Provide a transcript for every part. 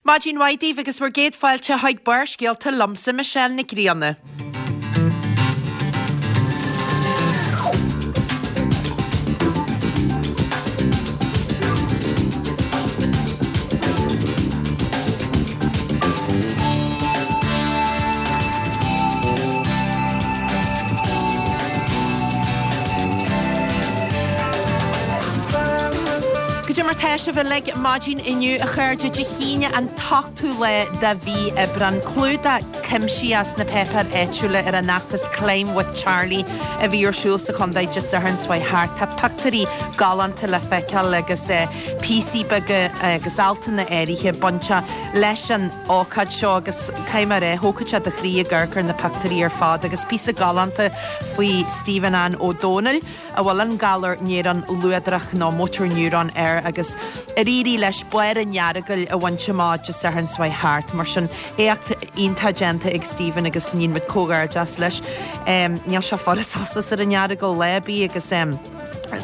Maidin mhaith daoibh agus bhur gcéad fáilte chuig Barrscéalta liomsa, Michelle Nic Grianna. Cad é mar tá sibh uilig maidin inniu a chairde Dé hAoine an t-ochtú lá de mhí Aibreán. Clúdach cuimsitheach sna páipéir áitiúla ar an fheachtas Climb with Charlie a bhí ar siúl sa chontae Dé Sathairn seo chuaigh thart. Tá pictiúirí galánta le feiceáil agus píosaí beaga agus altanna áirithe bainteach leis an ócáid seo agus caithfidh mé a rá, thógfadh sé do chroí ag amharc ar na pictiúirí ar fad agus píosa galánta faoi Stephen Ann Ó Dónaill a bhfuil an galar néarón luadrach nó motor neuron air agus ar éirigh leis barr an Earagail a bhaint amach Dé Sathairn seo chuaigh thart. Mar sin, éacht iontach déanta ag Stephen agus níonn muid comhghairdeas leis. Níl sé furast suas ar an Earagal lá ar bith agus.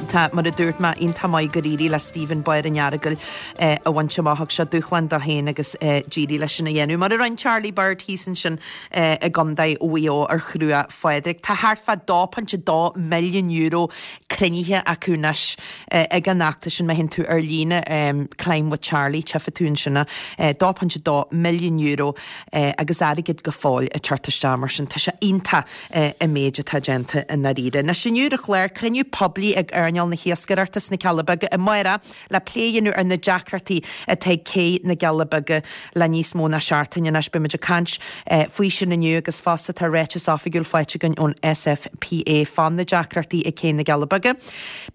Tá, mar a dúirt mé, iontach maith gur éirigh le Stephen barr an Earagail a bhaint amach. Thug sé dúshlán dó féin agus d'éirigh leis sin a dhéanamh. Mar a rinne Charlie Bird thíos ansin i gContae Mhaigh Eo ar Chruach Phádraig. Tá thart fá €2.2 milliún cruinnithe acu anois ag an fheachtas sin. Má théann tú ar líne, Climb with Charlie, tchífidh tú ansin é. €2.2 milliún agus airgead go fóill ag teacht isteach mar sin. Tá sé iontach. an méid atá déanta i ndáiríre. Anois inniu ar an chlár, cruinniú poiblí ag earnáil na hiascaireachta sna Cealla Beaga amárach le plé a dhéanamh ar na deacrachtaí atá ag Cé na gCealla Beaga le níos mó ná seachtain anois. Beidh muid ag caint faoi sin inniu agus fosta tá ráiteas oifigiúil faighte againn ón SFPA fá na deacrachtaí ag Cé na gCealla Beaga.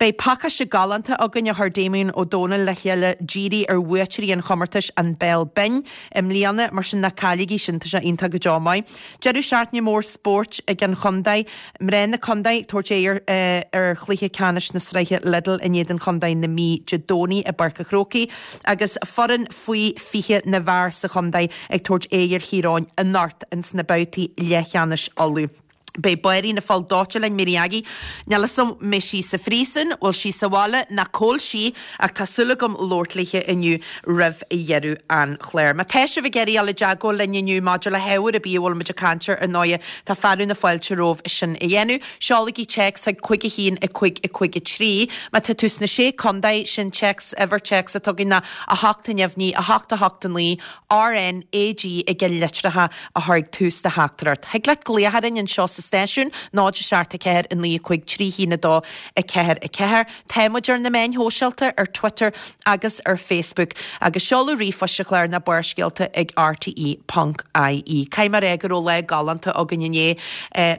Beidh pacáiste galánta againn a chuir Damien Ó Dónaill le chéile dírithe ar bhuaiteoirí an chomórtais An Béal Binn i mbliana, mar sin ná cailligí sin, tá sé iontach go deo maith. Deireadh seachtaine mór spóirt ag an chontae. Mná na contae ag tabhairt aghaidh ar chluiche ceannais na sraithe Lidl in éadan chontae na Mí Dé Domhnaigh i bPáirc an Chrócaigh agus foireann faoi 20 na bhfear sa chontae ag tabhairt aghaidh ar Thír Eoghain anocht ins na babhtaí leathcheannais Uladh. Beidh Báirín an Phoill Dóite linn, Mary Aggie. Níl 'fhios a'm mbeidh sí sa phríosún, bhfuil sí sa bhaile ná cá bhfuil sí ach tá súil agam labhairt léithe inniu roimh dheireadh an chláir. Má tá sibh ag iarraidh dul i dteagmháil linn inniu maidir le hábhar ar bith a bhfuil muid ag caint air, ar ndóighe, tá fearadh na fáilte romhaibh sin a dhéanamh. Seolaigí téacs chuig 5 1 5 5 3. Má tá tú sna Sé Contae, sin téacs, uimhir téacs atá againn ná 8 neamhní 8 8 9 RNAG ag na litreacha a chur ag tús do theachtaireacht. Thig leat glaoch orainn anseo sa stáisiún, 0 7 4 9 5 3 1 2 4 4. Tá muid ar na meáin shóisialta, ar Twitter agus ar Facebook. Agus seoladh ríomhphoist an chláir ná barrscéalta ag rte ponc ie. Caithfidh mé a rá go raibh lá galánta againn inné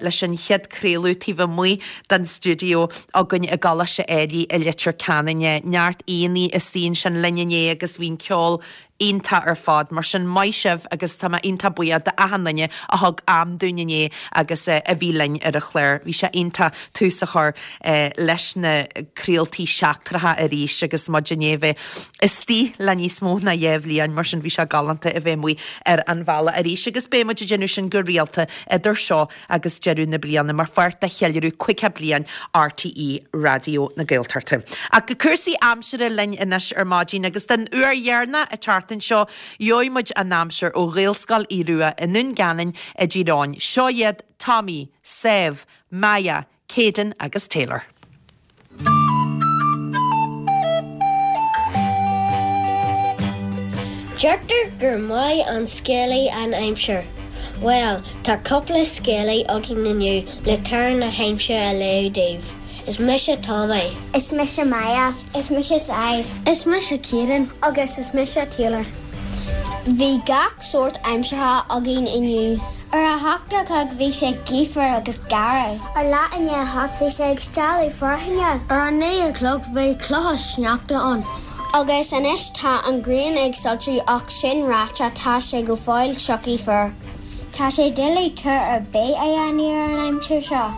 leis an chéad craoladh taobh amuigh den stiúideo againn i gColáiste Ailigh i Leitir Ceanainn. Neart aíonna istigh ansin linn inné agus bhí an ceol iontach ar fad. Mar sin, maith sibh agus tá mé iontach buíoch d'achan duine a thug am dúinn inné agus a bhí linn ar an chlár. Bhí sé iontach tús a chur leis na craoltaí seachtracha arís agus muid i ndiaidh bheith istigh le níos mó ná dhá bhliain, mar sin bhí sé galánta a bheith amuigh ar an bhealach arís agus beidh muid ag déanamh sin go rialta idir seo agus deireadh na bliana mar pháirt de cheiliúradh 50 bliain RTÉ Raidió na Gaeltachta. Ach go cúrsaí aimsire linn anois ar maidin agus den uair dheireanach an tseachtain seo gheobhaidh muid an aimsir ó Ghaelscoil Aodh Rua i nDún Geanainn i dTír Eoghain. Seo iad Tommy, Sadhbh, Maya, Kayden agus Taylor. Deirtear gur maith an scéalaí an aimsir. Bhuel, tá cúpla scéalaí againn inniu le tuar na haimsire a léamh daoibh. Is mise Tommy. Is mise Maya. Is mise Sadhbh. Is mise Kayden. Agus is mise Taylor. Bhí gach sórt aimsire againn inniu. Ar a hocht a chlog bhí sé gaofar agus garbh. Ar leath i ndiaidh a hocht bhí sé ag stealladh fearthainne. Ar a naoi a chlog bhí clocha sneachta ann. Agus anois tá an ghrian ag soilsiú ach sin ráite tá sé go fóill siocaí fuar. Tá sé doiligh tuar ar bith a dhéanamh ar an aimsir seo.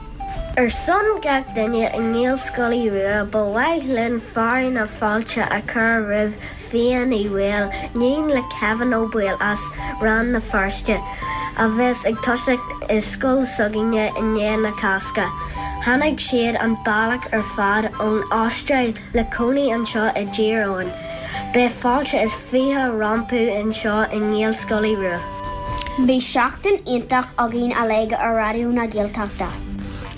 Ar son gach duine i nGaelscoil Aodh Rua, ba mhaith linn fearadh na fáilte a chur roimh Fia Ní Bhaoill, níon le Kevin Ó Baoill as Rann na Feirste, a bheas ag toiseacht i scoil s'againne i ndiaidh na Cásca. Tháinig siad an bealach ar fad ón Astráil le cónaí anseo i dTír Eoghain. Beidh fáilte is 20 rompu anseo i nGaelscoil Aodh Rua. Bhí seachtain iontach againn uilig ar Raidió na Gaeltachta.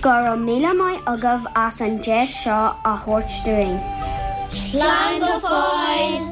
Go raibh míle maith agaibh as an deis seo a thabhairt dúinn. Slán go fóill!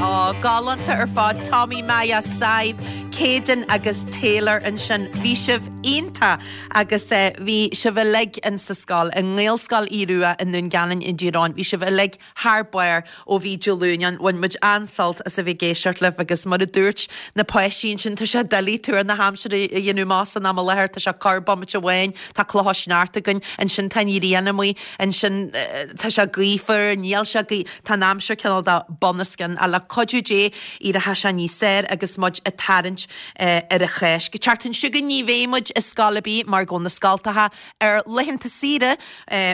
Ó, galánta ar fad, Tommy, Maya, Sadhbh, Kayden agus Taylor ansin. Bhí sibh iontach agus bhí sibh uilig in sa scoil, i nGaelscoil Aodh Rua i nDún Geanainn i dTír Eoghain. Bhí sibh uilig thar barr ó bhí Dé Luain ann. Bhain muid an-sult as a bheith ag éisteacht libh agus mar a dúirt na páistí ansin, tá sé doiligh tuar na haimsire a dhéanamh amach san am i láthair, tá sé corr-bomaite amháin, tá clocha sneachta againn, ansin tá an ghrian amuigh, ansin tá sé gaofar, níl sé gaoth, tá an aimsir cineál de bunoscionn ach le cuidiú Dé éireoidh sé níos fearr agus muid ag tarraingt ar an Cháisc. An tseachtain seo chugainn ní bheidh muid i scoil ar bith mar go bhfuil na scoltacha ar laethanta saoire,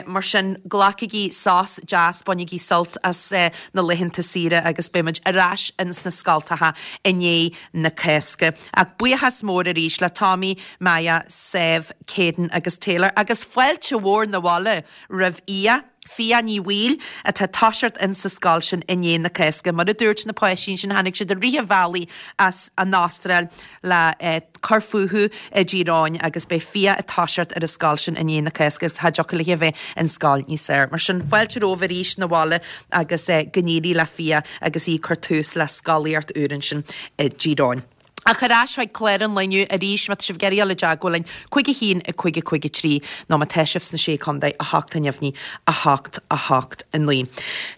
mar sin glacaigí sos deas, bainigí sult as na laethanta saoire agus beidh muid ar ais ins na scoltacha i ndiaidh na Cásca. Ach buíochas mór arís le Tommy, Maya, Sadhbh, Kayden agus Taylor agus fáilte mhór 'na bhaile roimh Fhia, Fia Ní Bhaoill, atá ag toiseacht in sa scoil sin i ndiaidh na Cásca. Mar a dúirt na páistí ansin, tháinig siad i rith an bhealaigh as an Astráil le cur fúthu i dTír Eoghain agus beidh Fia ag toiseacht ar an scoil sin i ndiaidh na Cásca agus cha dtiocfadh léi a bheith in scoil níos fearr. Mar sin, fáilte romhaibh arís 'na bhaile agus go n-éirí le Fia agus í ag cur tús le scolaíocht úr ansin i dTír Eoghain. Ach ar ais chuig clár an lae inniu arís, má tá sibh ag iarraidh dul i dteagmháil linn, 5 1 5 5 3, nó má tá sibh sna Sé Contae, 8 neamhní, 8 8 9.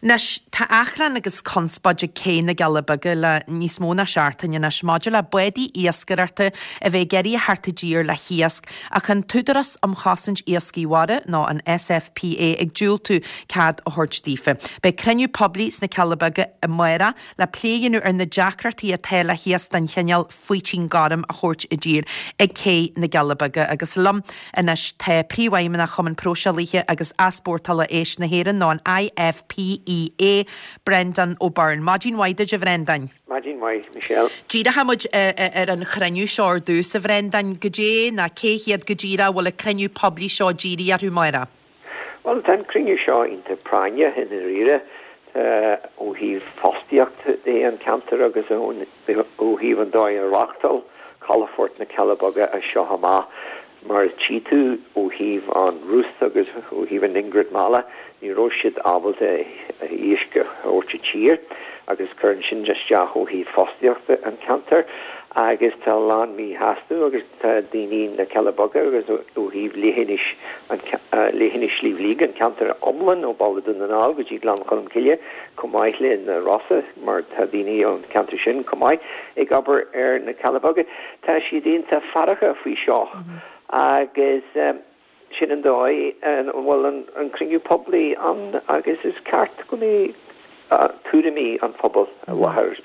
Anois, tá achrann agus conspóid ag Cé na gCealla Beaga le níos mó ná seachtain anois maidir le bádaí iascaireachta a bheith ag iarraidh a theacht i dtír le hiasc ach an tÚdarás um Chosaint Iascaigh Mhara, nó an SFPA, ag diúltú cead a thabhairt daofa. Beidh cruinniú poiblí sna Cealla Beaga amárach le plé a dhéanamh ar na deacrachtaí atá le hiasc den chineál faoitín gorm a thabhairt i dtír ag Cé na gCealla Beaga. Agus liom anois tá Príomhfheidhmeannach Chumann Próiseálaithe agus Easpórtála Éisc na hÉireann, nó an IFPEA, Brendan O'Byrne. Maidin mhaith duit, a Bhrendáin. Maidin mhaith, Michelle. Díreoidh muid ar an chruinniú seo ar dtús, a Bhrendáin. Goidé nó cé hiad go díreach a bhfuil an cruinniú poiblí seo dírithe orthu amárach? Bhuel, tá an cruinniú seo iontach práinneach i ndáiríre ó thaobh fostaíocht de an ceantar agus ó thaobh an dóigh a reáchtáil calafort na Cealla Beaga as seo amach. Mar a tchí tú ó thaobh an Ruth agus ó thaobh an Ingrid Mala, ní raibh siad ábalta iasc a thabhairt i tír agus cuireann sin isteach ó thaobh fostaíochta an ceantar agus tá a lán míshásamh agus Tá daoine na Cealla Beaga agus ó thaobh leithinis leithinis Shliabh Liag, an ceantar iomlán ó Baile Dún na nGall go dtí Gleann Cholm Cille, chomh maith le na Rosa mar tá daoine ón cheantar sin chomh maith ag obair ar na Cealla Beaga, tá siad iontach feargach faoi seo agus Sin an dóigh a bhfuil an cruinniú poiblí ann agus is ceart go mbeidh tuairimí an phobail i láthair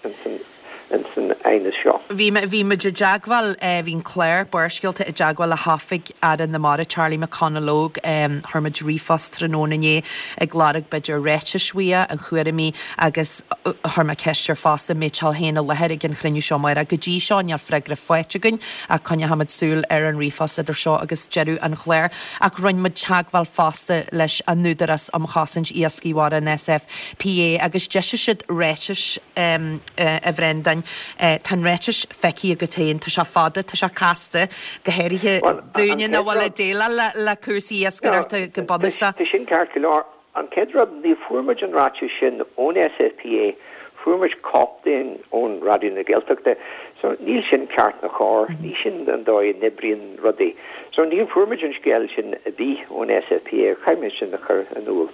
ins an aighneas seo. Bhí bhí muid i dteagmháil, bhí an clár Barrscéalta i dteagmháil le hOifig Aire na Mara, Charlie McConalogue. Chuir muid ríomhphost tráthnóna inné ag lorg b'fhéidir ráitis uaidh, a thuairimí agus chuir mé ceist air fosta an mbeadh sé féin i láthair ag an chruinniú seo amárach. Go dtí seo níl freagra faighte againn. Ach coinneochaimid súil ar an ríomhphost idir seo agus deireadh an chláir. Ach rinne muid teagmháil fosta leis an Údarás um Chosaint Iascaigh Mhara, an SFPA, agus d'eisigh siad ráiteas, a Bhrendáin. Tá an ráiteas feicthe agat féin. Tá sé fada, tá sé casta, go háirithe dúinne nach bhfuil ag déileáil le cúrsaí iascaireachta go bunúsach. Tá sin ceart go leor. An chéad rud, ní fuair muid an ráiteas sin ón SFPA, fuair muid cóip de ón Raidió na Gaeltachta. So níl sin ceart ná cóir, ní sin an dóigh a n-oibríonn rudaí. So ní fuair muid an scéal sin ar bith ón SFPA, caithfidh mé sin a chur in iúl.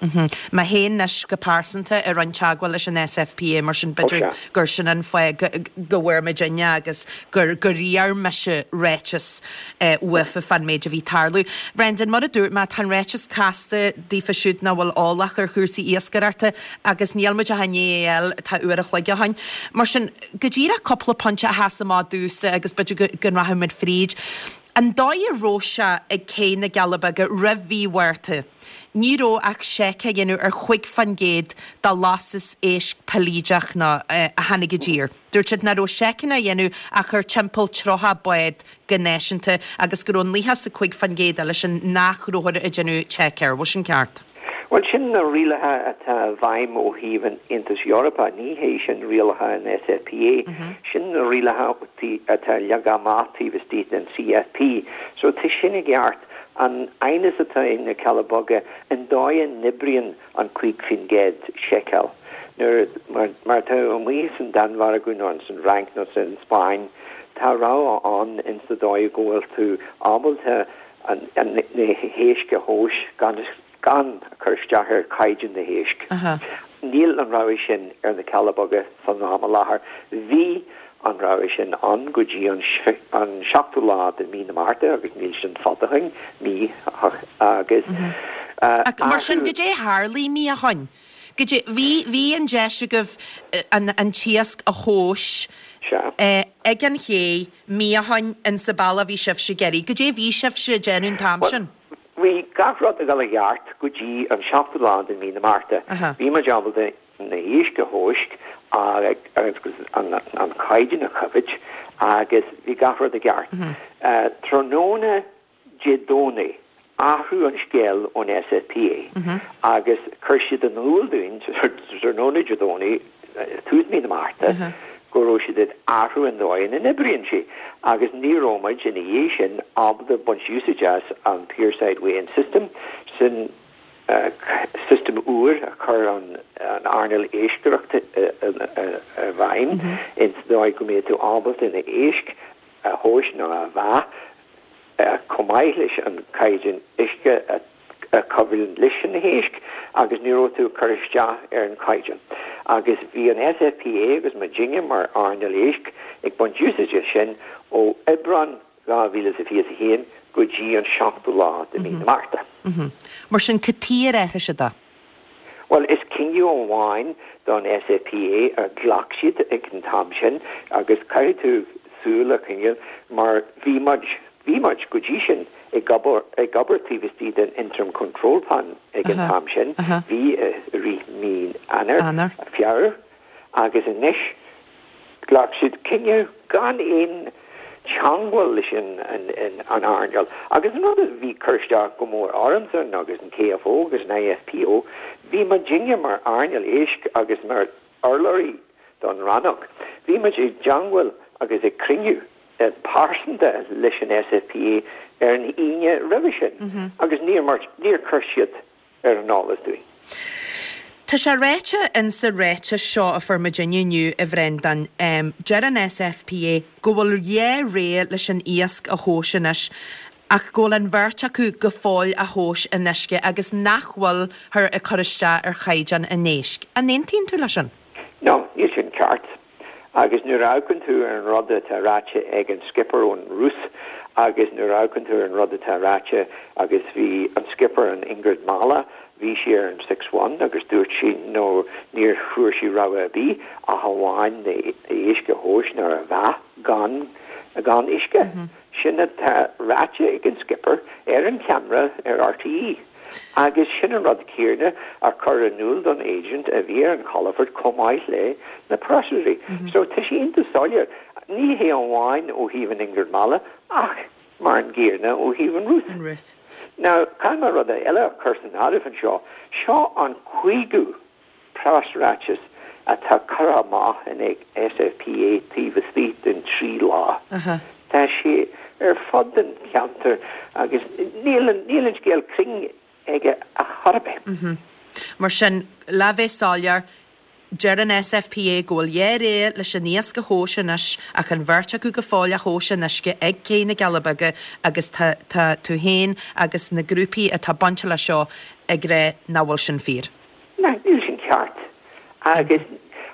Mé féin anois go pearsanta a rinne teagmháil leis an SFPA mar sin b'fhéidir gur sin an fáth go bhfuair muidinne agus gur gur iarr mise ráiteas uafa fán méid a bhí ag tarlú. Brendan, mar a dúirt mé, tá an ráiteas casta daofa siúd nach bhfuil eolach ar chúrsaí iascaireachta agus níl muid ach i ndiaidh é a fháil, tá uair a chloig ó shin. Mar sin, go díreach cúpla pointe a sheas amach domhsa agus b'fhéidir go rachaidh muid fríd. An dóigh a raibh sé ag Cé na gCealla Beaga roimh mhí Mhárta, ní raibh ach seic á dhéanamh ar chúig fán gcéad de lastas éisc peiligeach nó a tháinig i dtír. Dúirt siad nach raibh seiceanna á dhéanamh ach ar timpeall 30 bád go náisiúnta agus go raibh 95% eile sin nach rabhthar ag déanamh seic air. Bhfuil sin ceart? Bhuel, sin na rialacha atá i bhfeidhm ó thaobh an Aontais Eorpaigh, ní hé sin rialacha an SFPA. Sin na rialacha atá leagtha amach taobh istigh den CFP. So tá sin i gceart. An aighneas atá ag na Cealla Beaga, an dóigh a n-oibríonn an 5% seiceáil. Nuair, mar atá amuigh san Danmhairg nó san Fhrainc nó san Spáinn, tá rogha ann ins sa dóigh go bhfuil tú ábalta na héisc a thomhas gan gan cur isteach ar chaighdeán na héisc. Níl an rogha sin ar na Cealla Beaga san am i láthair. Bhí an rogha sin ann go dtí an seachtú lá de mí na Márta agus níl sin fada ó shin, mí agus. Ach mar sin, goidé a tharlaigh mí ó shoin? Goidé, bhí, bhí an deis agaibh an, an t-iasc a thomhas ag an ché mí ó shoin insa bealach a bhí sibhse ag iarraidh. Goidé a bhí sibhse ag déanamh an t-am sin? Bhí gach rud ag dul i gceart go dtí an seachtú lá de mí na Márta. Bhí muid ábalta na héisc a thomhas agus an caighdeán a choimhéad agus bhí gach rud i gceart. Tráthnóna Dé Domhnaigh, athrú an scéal ón SFPA agus chuir siad in iúl dúinn tráthnóna Dé Domhnaigh, tús mí na Márta, go raibh siad ag athrú an dóigh ina n-oibríonn sé agus ní raibh muid ina dhiaidh sin ábalta baint úsáid as an Pierside Weighing System, sin system úr a chuir an earnáil iascaireachta i bhfeidhm ins an dóigh go mbeidh tú ábalta na héisc a thomhas nó a mheá chomh maith leis an caighdeán uisce a a choimhlint leis na héisc agus ní raibh tú ag cur isteach ar an chaighdeán. Agus bhí an SFPA agus muidinne mar earnáil éisc ag baint úsáide as sin ó Aibreán 2021 go dtí an seachtú lá de mhí na Márta. Mar sin, cad chuige ar athraigh siad é? Bhuel, is cinneadh amháin don SFPA a ghlac siad ag an t-am sin agus caithfidh tú súil a choinneáil mar bhí muid, bhí muid go dtí sin ag obair, ag obair taobh istigh den Interim Control Plan ag an t-am sin, bhí i rith mí Eanáir, Feabhra agus anois Ghlac siad cinneadh gan aon teangmháil leis an earnáil. Agus an rud a bhí ag cur isteach go mór ormsa agus an KFO agus an IFPO, bhí muidinne mar earnáil éisc agus mar urlabhraí don rannóg, bhí muid i dteangmháil agus ag cruinniú pearsanta leis an SFPA ar an Aoine roimhe sin agus níor, níor chuir siad ar an eolas dúinn. Tá sé ráite insa ráiteas seo a fuair muidinne inniu, a Bhreandáin, deir an SFPA go bhfuil dhá rogha leis an iasc a thomhas anois ach go bhfuil an bheirt acu go fóill á thomhas in uisce agus nach bhfuilthear ag cur isteach ar chaighdeán an éisc. An aontaíonn tú leis sin? No, níl sin ceart. Agus nuair a amharcann tú ar an rud atá ráite ag an skipper ón Rúis agus nuair a amharcann tú ar an rud atá ráite agus bhí an skipper, an Ingrid Mala, bhí sí ar an Six One agus dúirt sí no níor fuair sí rogha ar bith ach amháin na héisc a thomhas nó a mheá gan gan uisce. Sin atá ráite ag an skipper ar an cheamara ar RTÉ. Agus sin an rud céanna a chur in iúl don agent a bhí ar an chalafort chomh maith le na preasairí. So tá sé iontach soiléir, ní hé amháin ó thaobh an Ingrid Mala ach mar an gcéanna ó thaobh an Ruth. Now, caithfidh mé rud eile a chur san áireamh anseo, seo an cúigiú preasráiteas atá curtha amach ag SFPA taobh istigh den 3 lá. Tá sé ar fud an cheantair agus níl an scéal cruinn aige ar chor ar bith. Mar sin, le bheith soiléir, deir an SFPA go bhfuil dhá rogha leis an iasc a thomhas anois ach an bheirt acu go fóill á thomhas in uisce ag Cé na gCealla Beaga agus tá tá tú féin agus na grúpaí atá bainteach leis seo ag rá nach bhfuil sin fíor. Ná, níl sin ceart. Agus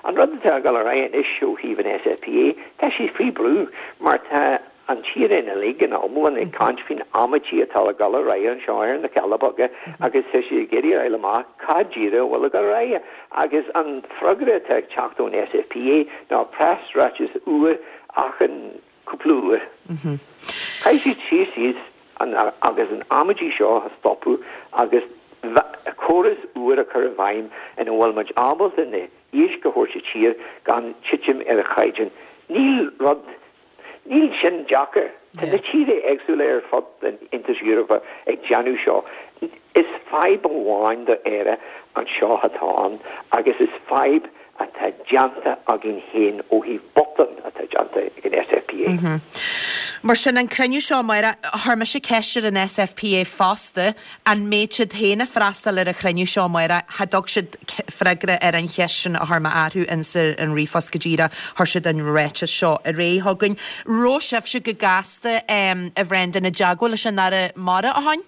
an rud atá ag dul ar aghaidh anois ó thaobh an SFPA, tá siad faoi brú mar tá an tír uilig ina iomlán ag caint faoin amaidí atá ag dul ar aghaidh anseo ar na Cealla Beaga agus tá siad ag iarraidh a fháil amach cad díreach a bhfuil ag dul ar aghaidh. Agus an freagra atá ag teacht ón SFPA ná preasráiteas úr achan cúpla uair. Caithfidh siad suí síos agus an amaidí seo a stopadh agus córas úr a chur i bhfeidhm ina bhfuil muid ábalta na héisc a thabhairt i dtír gan titim ar an chaighdeán. Níl rud, níl sin deacair. Tá na tíortha éagsúla ar fud an Aontais Eorpaigh ag déanamh seo. Is fadhb amháin do Éire anseo atá ann agus is fadhb atá déanta againn féin ó thaobh botún atá déanta ag an SFPA. Mar sin, an cruinniú seo amárach, chuir mise ceist ar an SFPA fosta, an mbeidh siad féin ag freastal ar an chruinniú seo amárach, cha dtug siad freagra ar an cheist sin a chuir mé orthu ins an ríomhphost go díreach, chuir siad an ráiteas seo ar aghaidh chugainn. Raibh sibhse go gasta, a Bhrendan, i dteagmháil leis an Aire Mara ó shoin?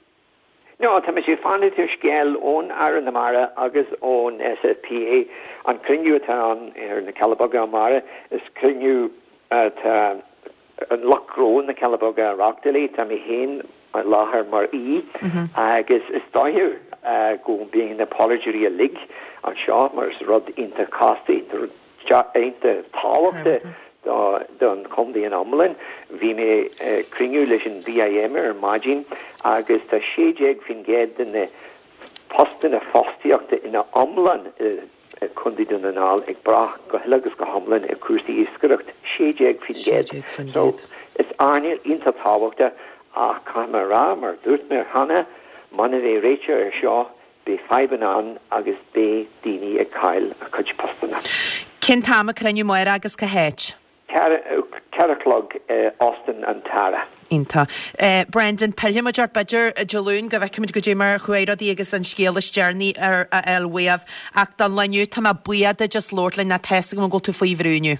No, tá mise ag fanacht ar scéal ón Aire na Mara agus ón SFPA. An cruinniú atá ann ar na Cealla Beaga amárach, is cruinniú atá an lucht gnó na Cealla Beaga a reáchtáil é. Tá mé féin i láthair mar aoi agus is dóiche go mbeidh na polaiteoirí uilig anseo mar is rud iontach casta, iontach iontach tábhachtach don chontae in iomlán. Bhí mé ag cruinniú leis an BIM ar maidin agus tá 16% de na postanna fostaíochta ina iomlán i Contae Dún na nGall ag brath go huile agus go hiomlán ar chúrsaí iascaireacht, 16%. So, is earnáil iontach tábhachtach ach caithfidh mé a rá, mar a dúirt mé cheana, muna mbeidh réiteach ar seo, Beidh fadhbanna ann agus beidh daoine ag cailleadh a cuid postanna. Cén t-am an cruinniú amárach agus cá háit? 4 a chlog i Óstán an Tara. Iontach. Brendan, pillfidh muid ort b'fhéidir Dé Luain go bhfeicfimid goidé mar a chuaigh rudaí agus an scéal is deireanaí a fháil uaibh. Ach don lá inniu tá mé buíoch duit as labhairt linn, tá 'fhios agam go bhfuil tú faoi bhrú inniu.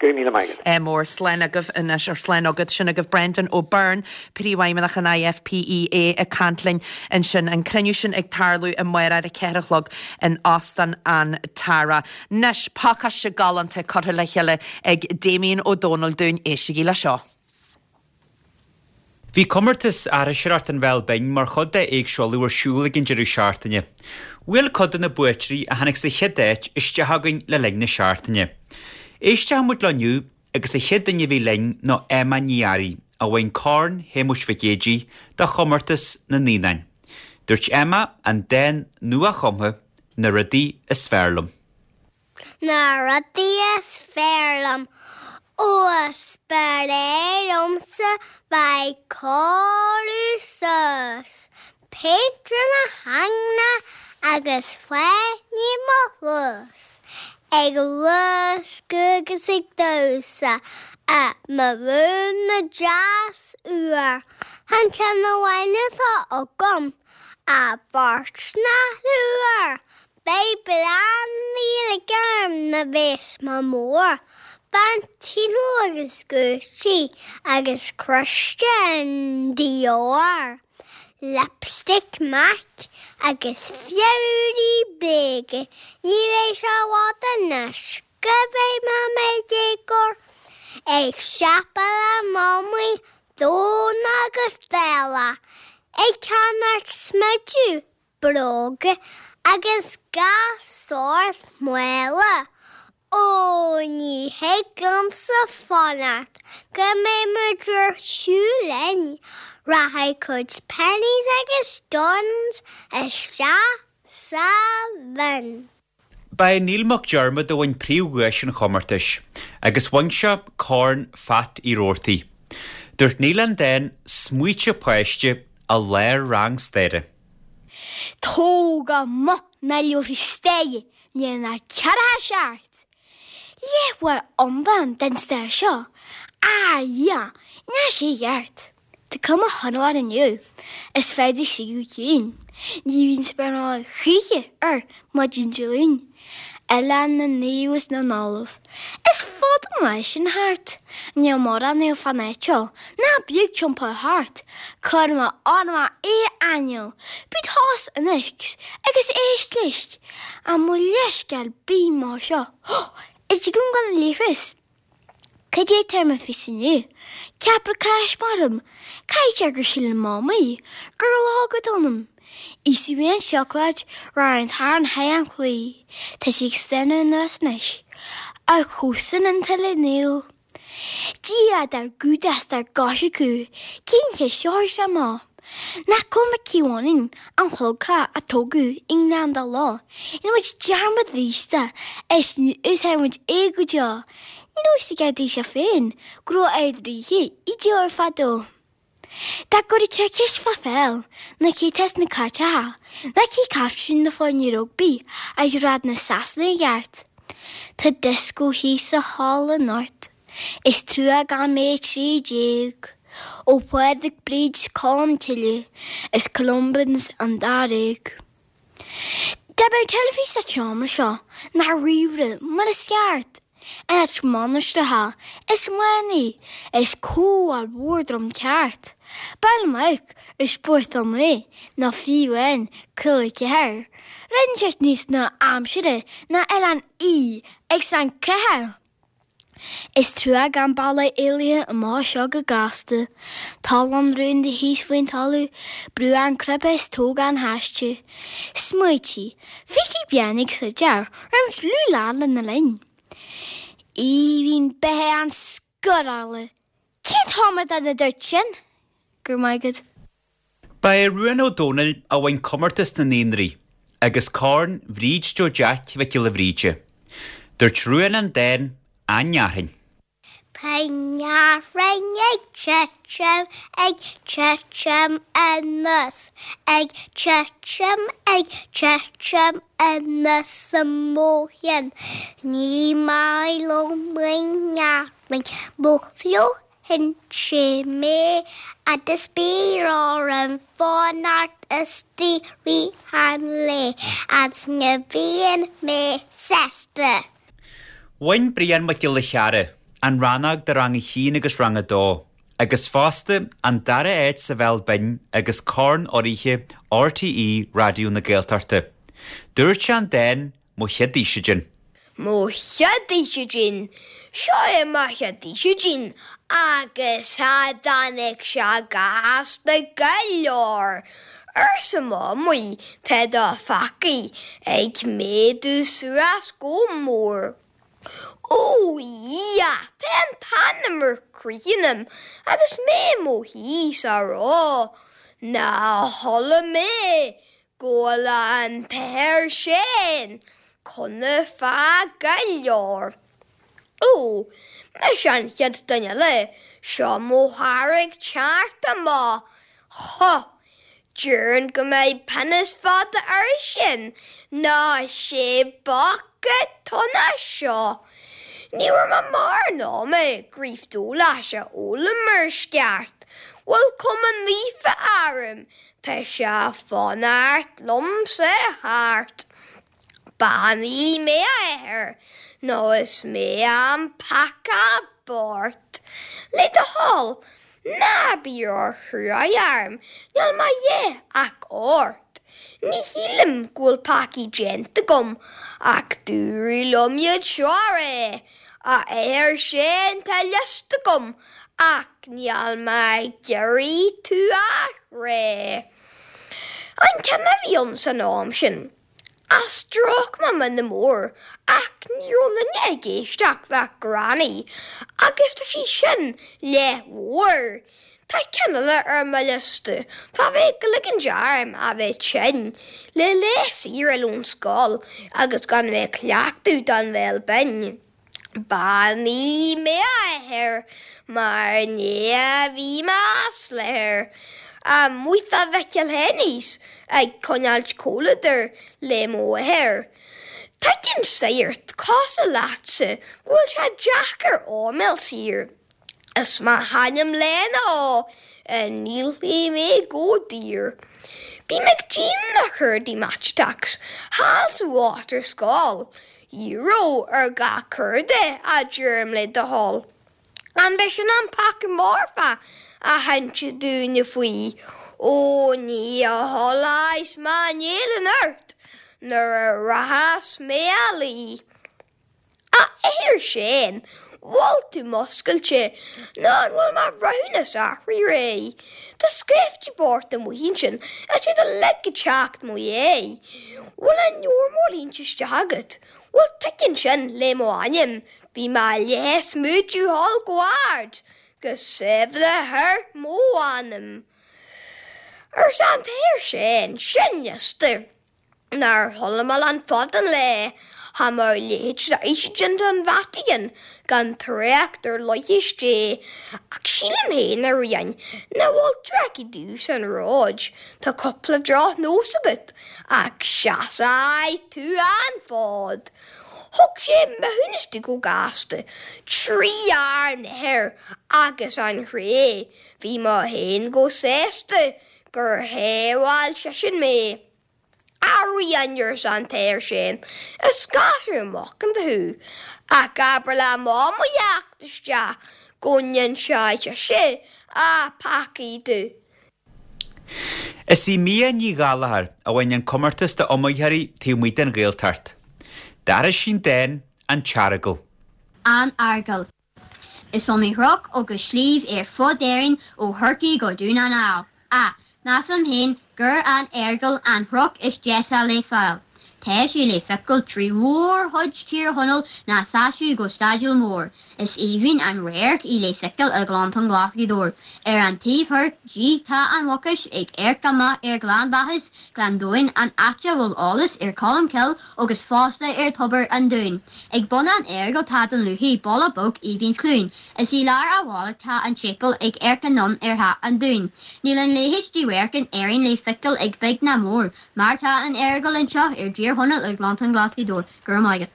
Go raibh míle maith agat. Ádh mór. Slán agaibh anois, or slán agat. Sin agaibh Brendan O'Byrne, Príomhfheidhmeannach an IFPEA ag caint linn ansin. An cruinniú sin ag tarlú amárach ar a 4 a chlog in Óstán an Tara. Anois, pacáiste galánta curtha le chéile ag Damien Ó Dónaill dúinn. Éistigí le seo. Bhí comórtas aithriseoireacht an Bhéal Binn mar chuid de Éigse Uladh ar siúl ag an deireadh seachtaine. Bhuail cuid de na buaiteoirí a tháinig sa chéad áit isteach chugainn le linn na seachtaine. Éistfidh muid leo inniu agus an chéad duine a bhí linn ná Emma Ní Fhearraigh a bhain Corn Shéamuis Mhic Géidigh do chomórtas na naíonáin. Dúirt Emma an dán nua-chumtha 'Na Rudaí Is Fearr Liom'. Na rudaí is fearr liom. Ó is breá liomsa bheith ag cóiriú suas, péint ar mo theanga agus fáinní i mo chluas, ag luascadh agus ag damhsa i mo ghúna deas úr. Chan ceann amháin atá agam, ach beirt nó triúr. Beidh plean Gaeilge orm nuair a bheas mé mór, Valentino agus Gucci agus Christian Dior, lipstick Mac agus fabhraí bréige, ní bheidh sé i bhfad anois go mbeidh mé i mo dhéagóir, ag siopadh le Mamaí Domhnach agus Dála, ag ceannacht smideadh bróga agus gach sórt mála. Ó, ní thig liomsa fanacht go mbeidh muid ar shiúl linn, rachaidh cuid pennies agus dons isteach sa bhinn. Ba é Neil Mac Diarmada a bhain príomhdhuais an chomórtais agus bhain sé Corn Phat Uí Rabhartaigh. Dúirt Neil an dán 'Smaoite Páiste' i lár rang staire. Tóg amach na leabharthaí staire ní na ceathracha seacht. Léifear iomlán den stair seo, a Dhia, níl sé ceart. Tá cuma shona air inniu, is féidir suí go ciúin. Ní bhíonn spáráil choíche air maidin Dé Luain. Oileán na Naomh is na nOllamh. Is fada an lá sin thart. Níl mórán naomh fán áit seo, ná bíodh timpeall thart. Cuir mé orm a aingeal, bí tost anois agus éist leis. An mo leithscéal binn mar seo. Is dtig liom gan leithreas. Cad é atá ar mo fios inniu? Ceapaire cáis maram. Caithfidh sé gur shíl an Mamaí gur log atá ionam. Íosfaidh mé an seacláid roimh an tarn thigh an chlaí. Tá sí ag stánadh anuas anois. A chomhsan an tuile Naomh. Dia dár gcumhdach 's dár gcoisriceadh, cén cheist seo ar sé amach? Nach cuma cé bhaineann an chlogtha a tógadh i nGleann Dá Loch, rinne muid dearmad aríst is ní úsáidfidh muid é go deo. Ní raibh fhios ag a sé féin go raibh Ard-Ríthe i dtír fadó. Dá gcuirfeadh sé ceist fá pheil, nó cé tá sna cairteacha, nó cé captaen na foirne rugbaí a ghrád na Sasanaigh i gceart. Tá dioscó thíos sa halla anocht. Is trua gan mé 13. Ó Phádraig, Bríd 's Colm Cille is Columbans an Dáréag. Dá mbeadh teilifís sa tseomra seo, ná ríomhaire mar is ceart, in áit mainistreacha is manaigh is comhdháil mhór drom ceart, b'fhearr liom amharc ar Spórt 9 nó fiú amháin Cúla 4, rinn sé níos nua-aimsire ná Oileán Í agus an 4. Is trua gan bealach éalaithe amach as seo go gasta. Tollán rúnda thíos faoin talamh, brú an cnaipe is tóg an haiste. Smaoitigh, 20 bliain ag troid roimh dlúth-lá lena linn. Aoibhinn beatha an scórála! Cén t-amadán a dúirt sin? Go raibh maith agat. Ba é Ruán Ó Domhnaill a bhain comórtas na naíonraí agus Corn Bhríd Joe Jeaic Mhic Giolla Bhríde. Dúirt Ruán an dán An Fhearthainn. Tá an fhearthainn ag titim, ag titim anuas, ag titim, ag titim anuas an mbóithrín. Ní maith liom an fhearthainn, mo Fliuchann sé mé agus bíonn orm fanacht istigh rith an lae agus ní bhíonn mé sásta. Bhain Brian Mac Giolla Chearra an rannóg do Rang 1 agus Rang 2, agus fosta an dara áit sa Bhéal Binn agus Corn Urraithe RTÉ Raidió na Gaeltachta. Dúirt sé an dán Mo Chéad Fhaoisidin. Mo chéad fhaoisidin, seo é mo chéad fhaoisidin agus cha dtáinig sé gasta go leor, arsa Mamaí, tá do phacaí ag méadú suas go mór. Ó a Dhia, tá an t-anam ar crith ionam agus mé i mo shuí sa ró. Ná chuala mé go bhfuil an t-athair sin cona fá go leor. Ó, mise an chéad duine eile, seo mo chara ag teacht amach. Huh! Déarfainn go mbeidh pionós fada air sin ná sé bosca tuna seo. Ní raibh mé mar ná mé gríof dólás a fhoghlaim mar is ceart. Bhfuil cuma naofa orm Tá sé fanacht liomsa thart. Beannaigh mé a athair nó is mé an peaca bocht. Le do thoil, ná bí ró-chruaidh orm, níl mé a dhath ach ort. Ní shílim go bhfuil peacaí déanta agam ach dúradh liom iad seo a rá. A athair sin tá liosta agam ach níl mé ag iarraidh tú a chrá. An ceann a bhí ann san am sin, a stróic mé mionn mór ach ní raibh duine ag éisteacht ach Granny agus tá sí sin leathmhór. Tá ceann eile ar mo liosta fá bheith ag ligean orm a bheith tinn le lá saor eile ón scoil agus gan bheith ag cleachtadh don bhéal binn. Beannaigh mé a athair mar ní a bhí mé as láthair. Amuigh fá Mhicil Henny's ag coinneáilt comhluadair le mo athair. Tuigeann sagart cosúil leatsa go bhfuil sé deacair áiméal saor. Is mo hainm lena ó a ndíolfaidh mé go daor. Bím ag déanamh na curdaí Match Attacks thall sa bhás ar scoil. Euro ar gach curda a deirim le do thoil. An b'é sin an peaca marfa a hinse dúinne faoi? Ó ní a chodlóidh mé néal anocht nuair a rachas mé a luí. A athair Sheáin, bhfuil tú muscailte nó an bhfuil mo bhreithiúnas athraithe réidh? Tá scaifte bocht amuigh ansin is iad uilig ag teacht mo dhéidh. Bhfuil an leabhar mór líonta isteach agat? Bhuel tuigeann sin le mo ainm, bhí mé leath smúidiú thall go ard, go sábhála mo anam. Arsa an t-athair Seán, sin liosta. Nár chuala mé lán fad an lae. Cha mbeadh a leithéid d'oíche déanta an Vatican gan trácht ar leithéis Dé. Ach sílim féin, a Ríoghain, nach bhfuil tú ach i dtús an róid. Tá cúpla droch-nós agat, ach seasfaidh tú an fód. Thug sé maithiúnas di go gasta, trí ár n-athair agus an chré. Bhí mé féin chomh sásta gur shábháil seisean mé. A Ríoghain, arsa an t-athair sin, is gasúr macánta thú, ach abair le Mamaí theacht isteach go n-inseoidh sise a peacaí di. Is í Mia Ní Ghallchóir a bhain an comórtas d'iomaitheoirí taobh amuigh den Ghaeltacht. D'aithris sí an dán 'An tEargail'. An Eargail. Is iomaí chnoc agus sliabh ar fud Éireann ó Chorcaigh go Dún na nGall. Ach, measaim féin gur an Eargail an chnoc is deise le fáil. Tá sé le feiceáil trí mhórchuid Tír Chonaill ná seasamh go staidúil mór. Is aoibhinn an radharc í le feiceáil i nGleannta Glas Ghaoth Dobhair. Ar an taobh thoir di tá an Mhucais ag amharc amach ar Ghleann Bachais, Gleann Domhain, an áit a bhfuil eolas ar Colmcille agus fosta ar Tobar an Dúin. Ag bun an Eargail tá Dún Lúiche, baile beag aoibhinn 's ciúin. Is i lár a' bhaile tá an séipéal ag amharc anonn ar Theach an Dúin. Níl an leithéid de radharc in Éirinn le feiceáil ag beag ná mór, mar tá an Eargail anseo i dTír Chonaill i nGleannta Glas Ghaoth Dobhair. Go raibh maith agat.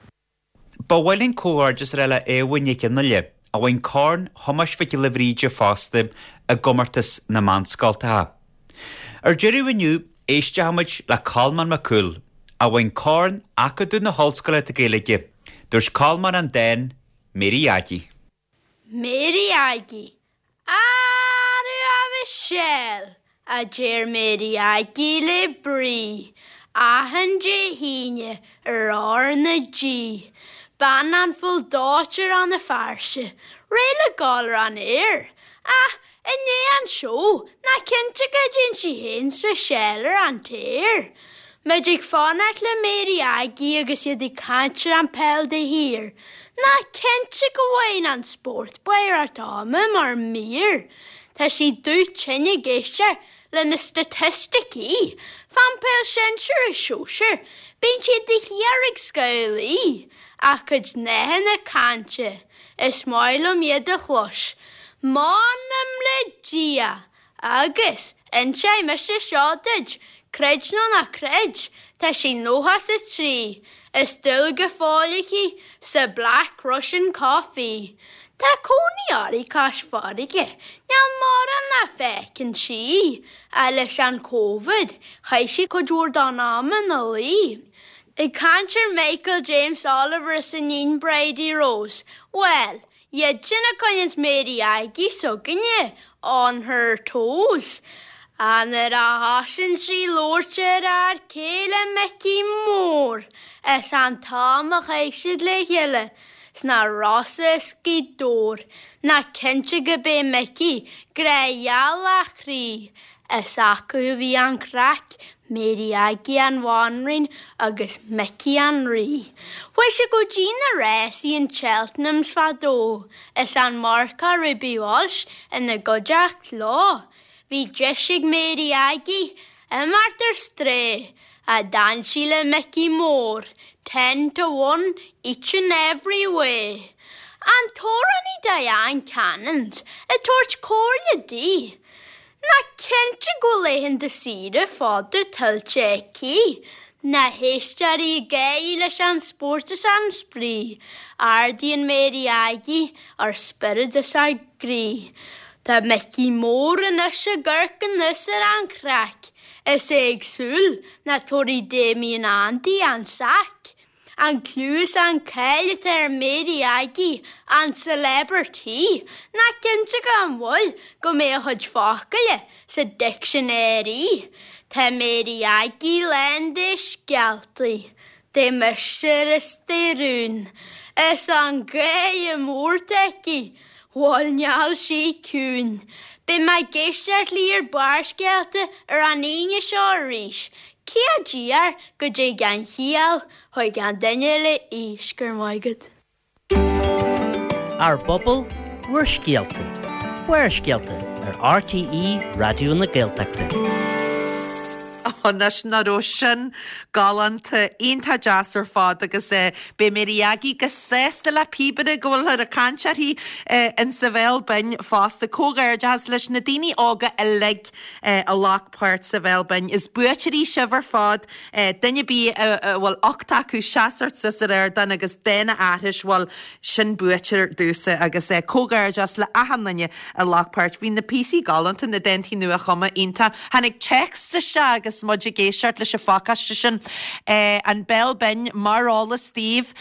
Ba mhaith linn comhghairdeas a rá le Éabha Nic Fhionnghaile, a bhain Corn Thomáis Mhic Giolla Bhríde fosta i gcomórtas na meánscoltacha. Ar deireadh inniu, éistfidh muid le Colmán Mac Cumhaill, a bhain Corn Acadamh na hOllscoile Gaeilge. Dúirt Colmán an dán 'Mary Aggie'. Mary Aggie, Arú a Mhichelle, a deir Mary Aggie le brí, achan Dé hAoine ar R na G. Bean an fuil dóite ar an fearse, réidh le gabháil ar an aer, ach i ndiaidh an seó, nach cinnte go dtéann sí féin 's Michelle ar an t-aer. Muid ag fanacht le Mary Aggie agus iad ag caint ar an peil de shíor. Nach cinnte go bhfaigheann an spórt baireacht ama mar mír. Tá sí dubh tinn ag éisteacht le na staitisticí fán peil sinsir is sóisir, bíonn siad de shíor ag scamhlaí. A cuid nathanna cainte, is maith liom iad a chlos. M'anam le Dia! Agus, inseoidh mise seo duit, creid nó ná creid, tá sí 93, is dúil go fóill aici sa Black Russian Coffee. Tá cónaí uirthi cois farraige, níl mórán nach bhfeiceann sí, ach leis an Covid, chaith sí cuid mhór den am ina luí. Ag caint ar Michael James Oliver is a níon Bridie Rose, bhuel, Iad sin a choinníonns Mary Aggie s'againne on her toes. Ach nuair a thosaíonn sí labhairt ar fhear céile Micí Mór is an t-am a chaith siad le chéile sna Rosa is Gaoth Dobhair, nach cinnte go b'é Micí grá gheal a chroí Is acu a bhí an chraic, Mary Aggie an bhanríon agus Micí an rí. Chuaigh sé go dtí na rásaí in Cheltenhams fadó is an marcach Ruby Walsh ina gcuideacht leo. Bhí deis ag Mary Aggie imeacht ar strae ach d'fhan sí le Micí Mór, ten to one each and every way. An t-amhránaí Diane Cannons ag tabhairt comhairle di. Nach cinnte go bhfuil laethanta saoire fada tuillte aici? Na héisteoirí ag gáirí leis an spórt is an spraoi, ardaíonn Mary Aggie ár spiorad is ár gcroí. Tá Micí Mór anois ag amharc anuas ar an chraic is é ag súil nach dtabharfaidh Damien Andy an sac. An clú is an cáil atá ar Mary Aggie, an celebrity, nach cinnte gan mhoill go mbeidh a chuid focail sa dictionary. Tá Mary Aggie lán de scéaltaí, de mhistéir is de rún. Is an gáire mór atá aici, bhuel níl sí ciúin. Beidh mé ag éisteacht léi ar Barrscéalta ar an Aoine seo arís. Cé a d'iarr go dtig an chiall chuig an duine le aois? Go raibh maith agat. Ár bpobal, bhur scéalta. Barrscéalta ar RTÉ Raidió na Gaeltachta. Anois nach raibh sin galánta, iontach deas ar fad agus beidh Mary Aggie go sásta le píobaire go bhfuilthear ag caint uirthi insa Bhéal Binn fosta. Comhghairdeachas leis na daoine óga uilig a ghlac páirt sa Bhéal Binn. Is buaiteoirí sibh ar fad. Duine ar bith a bhfuil ucht acu seasamh suas ar ardán agus dán a aithris, bhuel, sin buaiteoir domhsa agus comhghairdeas le achan duine a ghlac páirt. Bhí na píosaí galánta, na dántaí nua-chumtha, iontach. Tháinig téacs isteach agus muid ag éisteacht leis an phacáiste sin, An Béal Binn, mar eolas daoibh,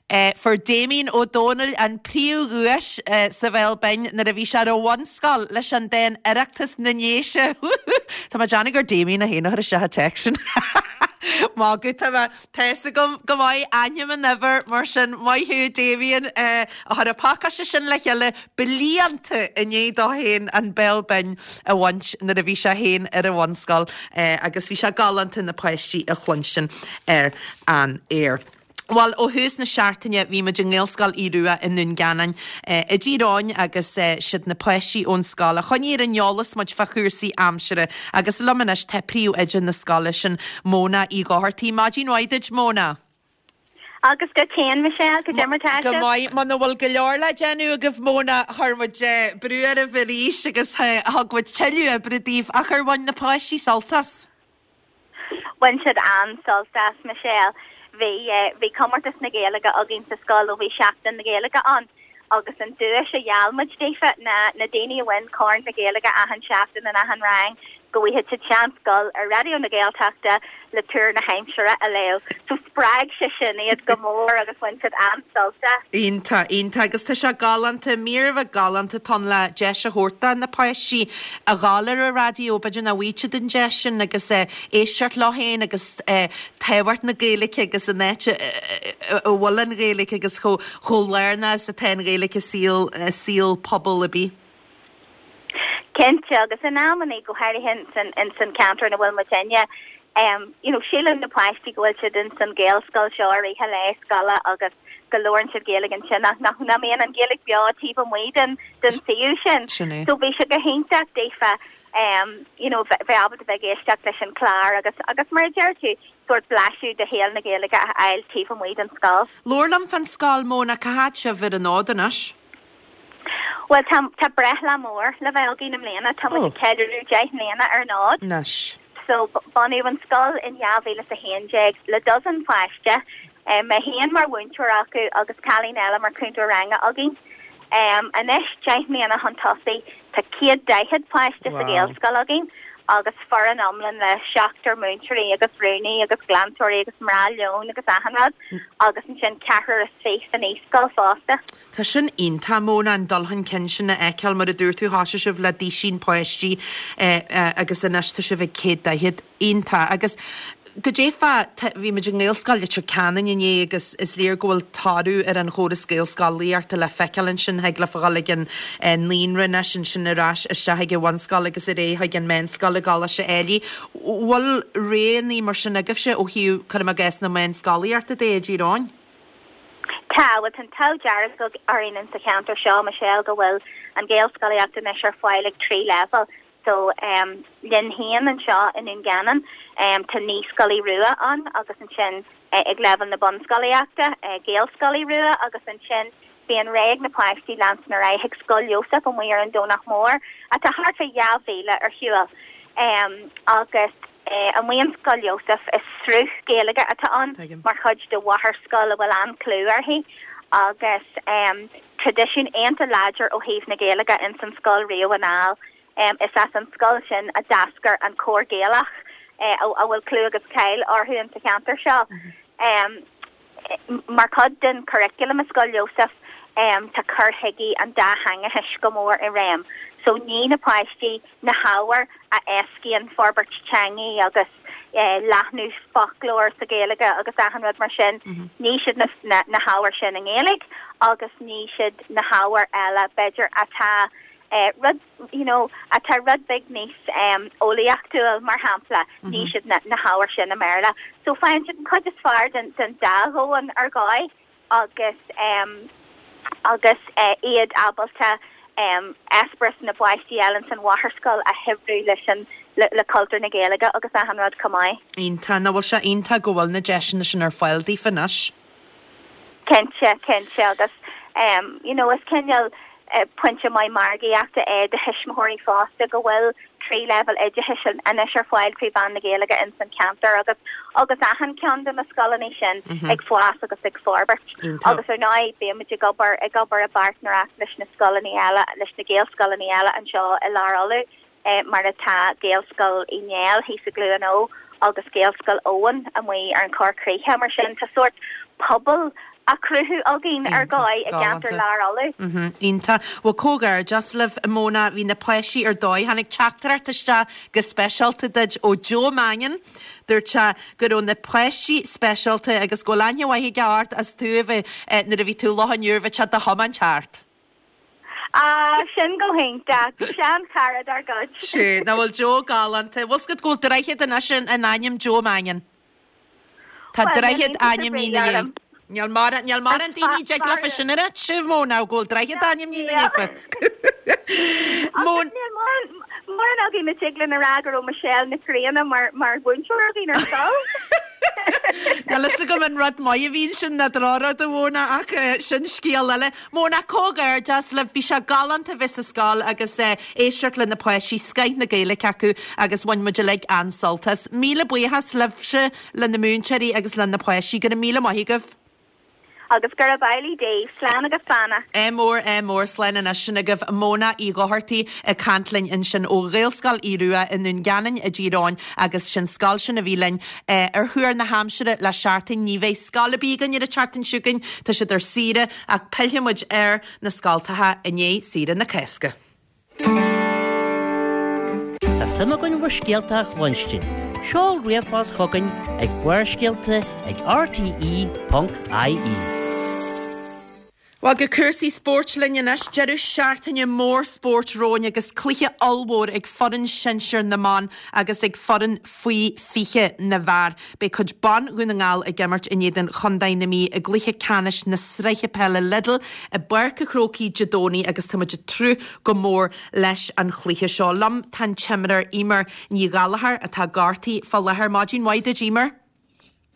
fuair Damien Ó Dónaill an príomhdhuais sa Bhéal Binn nuair a bhí sé ar an bhunscoil leis an dán Oireachtas na nDéise. Tá mé ag déanamh gur Damien é féin a chuir isteach an téacs sin. Magadh, tá mé. Tá fhios agam go maith ainm an uimhir, mar sin maith thú Damien a chuir an pacáiste sin le chéile blianta i ndiaidh dó féin an Béal Binn a bhaint nuair a bhí sé féin ar an bhunscoil agus bhí sé galánta na páistí a chluinstin ar an aer. Bhuel, ó thús na seachtaine bhí muid i nGaelscoil Aodh Rua i nDún Geanainn i dTír Eoghain agus siad na páistí ón scoil a choinnigh ar an eolas muid fá chúrsaí aimsire agus liom anois tá príomhoide na scoile sin, Móna Uí Dhochartaigh. Maidin mhaith duit, Móna. Agus duit féin, Michelle, cad é mar tá Go maith. Muna bhfuil go leor le déanamh agaibh, Móna, chuir muid brú oraibh arís agus thug muid tuilleadh oibre daoibh, ach ar bhain na páistí sult as? Bhain siad an-sult as, Michelle. Bhí, bhí comórtas na Gaeilge againn sa scoil ó bhí Seachtain na Gaeilge ann agus an duais a gheall muid daofa ná na daoine a bhain Corn na Gaeilge achan seachtain in achan rang go bhfaigheadh siad seans dul ar Raidió na Gaeltachta le tuar na haimsire a léamh. So spreag sé sin iad go mór agus bhain siad an-sult as. Iontach, iontach agus tá sé galánta, mír a bheith galánta atá ann le deis a thabhairt do na páistí a ghabháil ar an raidió, b'fhéidir nach bhfaigheadh siad an deis sin agus éisteacht leo féin agus tábhacht na Gaeilge agus an áit a bhfuil an Ghaeilge agus chomh lárnach is atá an Ghaeilge i saol, i saol pobal ar bith. Cinnte, agus in amannaí, go háirithe ins an ceantar ina bhfuil muidinne, you know, síleann na páistí go bhfuil siad ins an Ghaelscoil seo i rith an lae scoile agus go labhrann siad Gaeilge ansin ach nach nach mbíonn an Ghaeilge beo taobh amuigh den den suíomh sin. Sin é. So bhí sé go hiontach daofa you know, bheith ábalta bheith ag éisteacht leis an chlár agus agus mar a deir tú, sórt blaiseadh de shaol na Gaeilge a fháil taobh amuigh den scoil. Labhair liom fán scoil, Móna, cá fhad sibh ar an fhód anois? Bhuel, tá, tá breithlá mór le bheith againn i mbliana. Tá muid ag ceiliúradh 10 mbliana ar an fhód. Anois. So, bunaíodh an scoil in 2011 le dosaen páiste, mé féin mar mhúinteoir acu agus cailín eile mar chúntóir ranga againn. Anois, 10 mbliana chun tosaigh, tá 140 páiste sa Ghaelscoil againn agus foireann iomlán le seachtar múinteoirí agus rúnaí agus glantóirí agus mná leoin agus achan rud agus ansin ceathrar is fiche sa naíscoil fosta. Tá sin iontach, Móna, an dul chun cinn sin a fheiceáil. Mar a dúirt tú, thosaigh sibh le duisín páistí agus anois tá sibh ag 140. Iontach. Agus goidé fá, bhí muid i nGaelscoil Leitir Ceanainn inné agus is léir go bhfuil toradh ar an chóras Gaelscolaíochta le feiceáil ansin. Thig leofa dhul ag an naíonra anois, ansin ar ais isteach ag an bhunscoil agus ar aghaidh chuig an meánscoil i gColáiste Ailigh. Bhfuil roghanna mar sin agaibhse ó thaobh, cuirim i gcás, na meánscolaíochta de i dTír Eoghain? Tá, bhuel tá an t-ádh dearg orainn in sa cheantar seo, Michelle, go bhfuil an Ghaelscolaíocht anois ar fáil ag 3 leibhéal. So, em, linn féin anseo i nDún Geanainn, em, tá Naíscoil Aodh Rua ann agus ansin eh, ag leibhéal na bunscolaíochta, eh, Gaelscoil Aodh Rua agus ansin bíonn rogha ag na páistí leanstan ar aghaidh chuig Scoil Iósaef amuigh ar an Domhnach Mór, atá thart fé dhá mhíle ar shiúl. Em, agus. Amuigh in Scoil Iósaef, is sruth Gaeilge atá ann mar chuid de mháthairscoil a bhfuil an-chlú uirthi agus traidisiún iontach láidir ó thaobh na Gaeilge ins an scoil riamh anall. Is as an scoil sin a d'eascair an Cór Gaelach a bhfuil clú agus cáil orthu ins an cheantar seo. Mar chuid den churriculum i Scoil Iósaef tá cur chuige an dátheangachais go mór i réim so ní na páistí na hábhair a éascaíonn forbairt teangaí agus leathnú foclóir sa Ghaeilge agus achan rud mar sin, ní siad na hábhair sin i nGaeilge agus ní siad na hábhair eile b'fhéidir atá rud you know atá rud beag níos eolaíochtúil mar shampla, ní siad na hábhair sin i mBéarla. So faigheann siad an chuid is fearr den dá dhomhan ar dhóigh. agus agus iad ábalta. Eispéireas na bpáistí eile ins an mháthairscoil a shaibhriú leis an, le cultúr na Gaeilge agus achan rud chomh maith. Iontach, nach bhfuil sé iontach go bhfuil na deiseanna sin ar fáil daofa anois? Cinnte, cinnte agus you know is cineál pointe maith margaíochta é do thuismitheoirí fosta go bhfuil 3 leibhéal oideachais anois ar fáil trí mheán na Gaeilge ins an cheantar agus agus achan ceann de na scoileanna sin ag fás agus ag forbairt. Agus ar ndóigh bímid ag obair ag obair i bpáirtnéireacht leis na scoileanna eile, leis na Gaelscoileanna eile anseo i Lár Uladh mar atá Gaelscoil Uí Néill thíos i gCluain Eo agus Gaelscoil Eoin amuigh ar an Chorr Chríche. Mar sin tá sórt pobal á chruthú againn ar dhóigh i gceantar Lár Uladh. Iontach. Bhuel, comhghairdeas libh, a Mhona. Bhí na páistí ar dóigh. Tháinig teachtaireacht isteach go speisialta duit ó Joe Mannion. Dúirt sé go raibh na páistí speisialta agus go bhfuil aithne mhaith aige ort as tú a bheith, nuair a bhí tú i Loch an Iúir, bheadh sé do thiomáint thart. Ah, sin go hiontach. Sean-chara dár gcuid. Sea, nach bhfuil Joe galánta. Bhfuil 's agat go bhfuil droichead anois in ainm Joe Mannion? Tá droichead ainmnithe ina dhiaidh. Níl mórán, níl mórán daoine a dtig leofa sin a ráit, a Mhona, go bhfuil droichead ainmnithe ina ndiaidh. Agus níl mórán, mórán againn a dtig linn a rá go raibh Michelle Nic Grianna mar, mar mhúinteoir againn ar scoil. Níl fhios agam an rud maith a bhí ansin nó drochrud a Mhona ach sin scéal eile. Mona, comhghairdeas libh, bhí sé galánta bheith sa scoil agus éisteacht le na páistí, scoith na Gaeilge acu agus bhain muid uilig an-sult as. Míle buíochas libhse, le na múinteoirí agus le na páistí. Go raibh míle maith agaibh. Agus gurab amhlaidh daoibh. Slán agus beannacht. Ádh mór, ádh mór, slán anois. Sin agaibh Mona Uí Dhochartaigh ag caint linn ansin ó Ghaelscoil Aodh Rua i nDún Geanainn i dTír Eoghain agus sin scoil sin a bhí linn ar Thuar na hAimsire le seachtain. Ní bheidh scoil ar bith againn ar an tseachtain seo chugainn, tá siad ar saoire ach pillfidh muid ar na scoltacha i ndiaidh saoire na Cásca. Tá suim againn bhur scéalta a chluinstin. Seol ríomhphost chugainn ag barrscéalta ag rte.ie. Bhuel, go cúrsaí spóirt linn anois. Deireadh seachtaine mór spóirt romhainn agus cluiche ollmhór ag foireann sinsir na mban agus ag foireann faoi 20 na bhfear. Beidh cuid ban Dhún na nGall ag imirt in éadan Chontae na Mí i gcluiche ceannais na Sraithe Peile Lidl i bPáirc an Chrócaigh Dé Domhnaigh agus tá muid ag tnúth go mór leis an chluiche seo. Liom tá an t-imreoir Eimear Ní Ghallchóir atá gortaithe fá láthair. Maidin mhaith duit Eimear.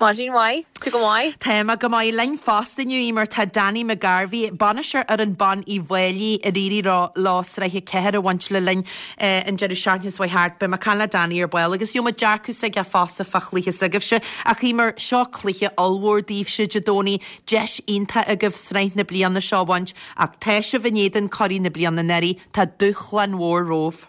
Maidin mhaith. Tú go maith? Tá mé go maith. Linn fosta inniu, Eimear, tá Danny McGarvey, bainisteoir fhoireann ban Uíbh Fhailí ar éirigh leo Sraith 4 a bhaint le linn an deireadh seachtaine seo chuaigh thart. Beidh mé ag caint le Danny ar ball agus gheobhaidh muid dearcadh s'aige fosta fá chluiche s'agaibhse. Ach Eimear, seo cluiche ollmhór daoibhse Dé Domhnaigh, deis iontach agaibh sraith na bliana seo a bhaint ach tá sibh in éadan curaidh na bliana anuraidh, tá dúshlán mhór romhaibh.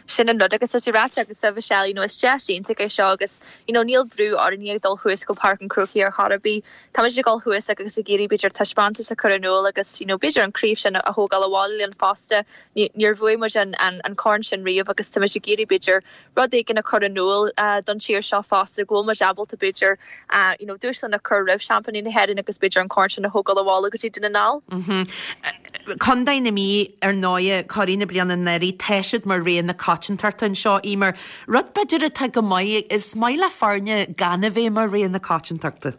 Sin an rud agus tá sé ráite agatsa Michelle, you know, is deis iontach é seo agus you know, níl brú orainne ag dul thuas go Páirc an Chrócaigh ar chor ar bith. Táimid ag dul thuas agus ag iarraidh b'fhéidir taispeántas a chur in iúl agus you know, b'fhéidir an craobh sin a thógáil abhaile linn fosta. Níor bhuaigh muid an, an, an corn sin riamh agus táimid ag iarraidh b'fhéidir rud éigin a chur in iúl don tír seo fosta go bhfuil muid ábalta b'fhéidir you know, dúshlán a chur roimh seaimpíní na hÉireann agus b'fhéidir an corn sin a thógáil abhaile go dtí Dún na nGall. Contae na Mí, ar ndóighe, curaidh na bliana anuraidh, tá siad mar rogha na coitiantachta anseo, Eimear. Rud b'fhéidir atá go maith, is maith le foirne gan a bheith mar rogha na coitiantachta.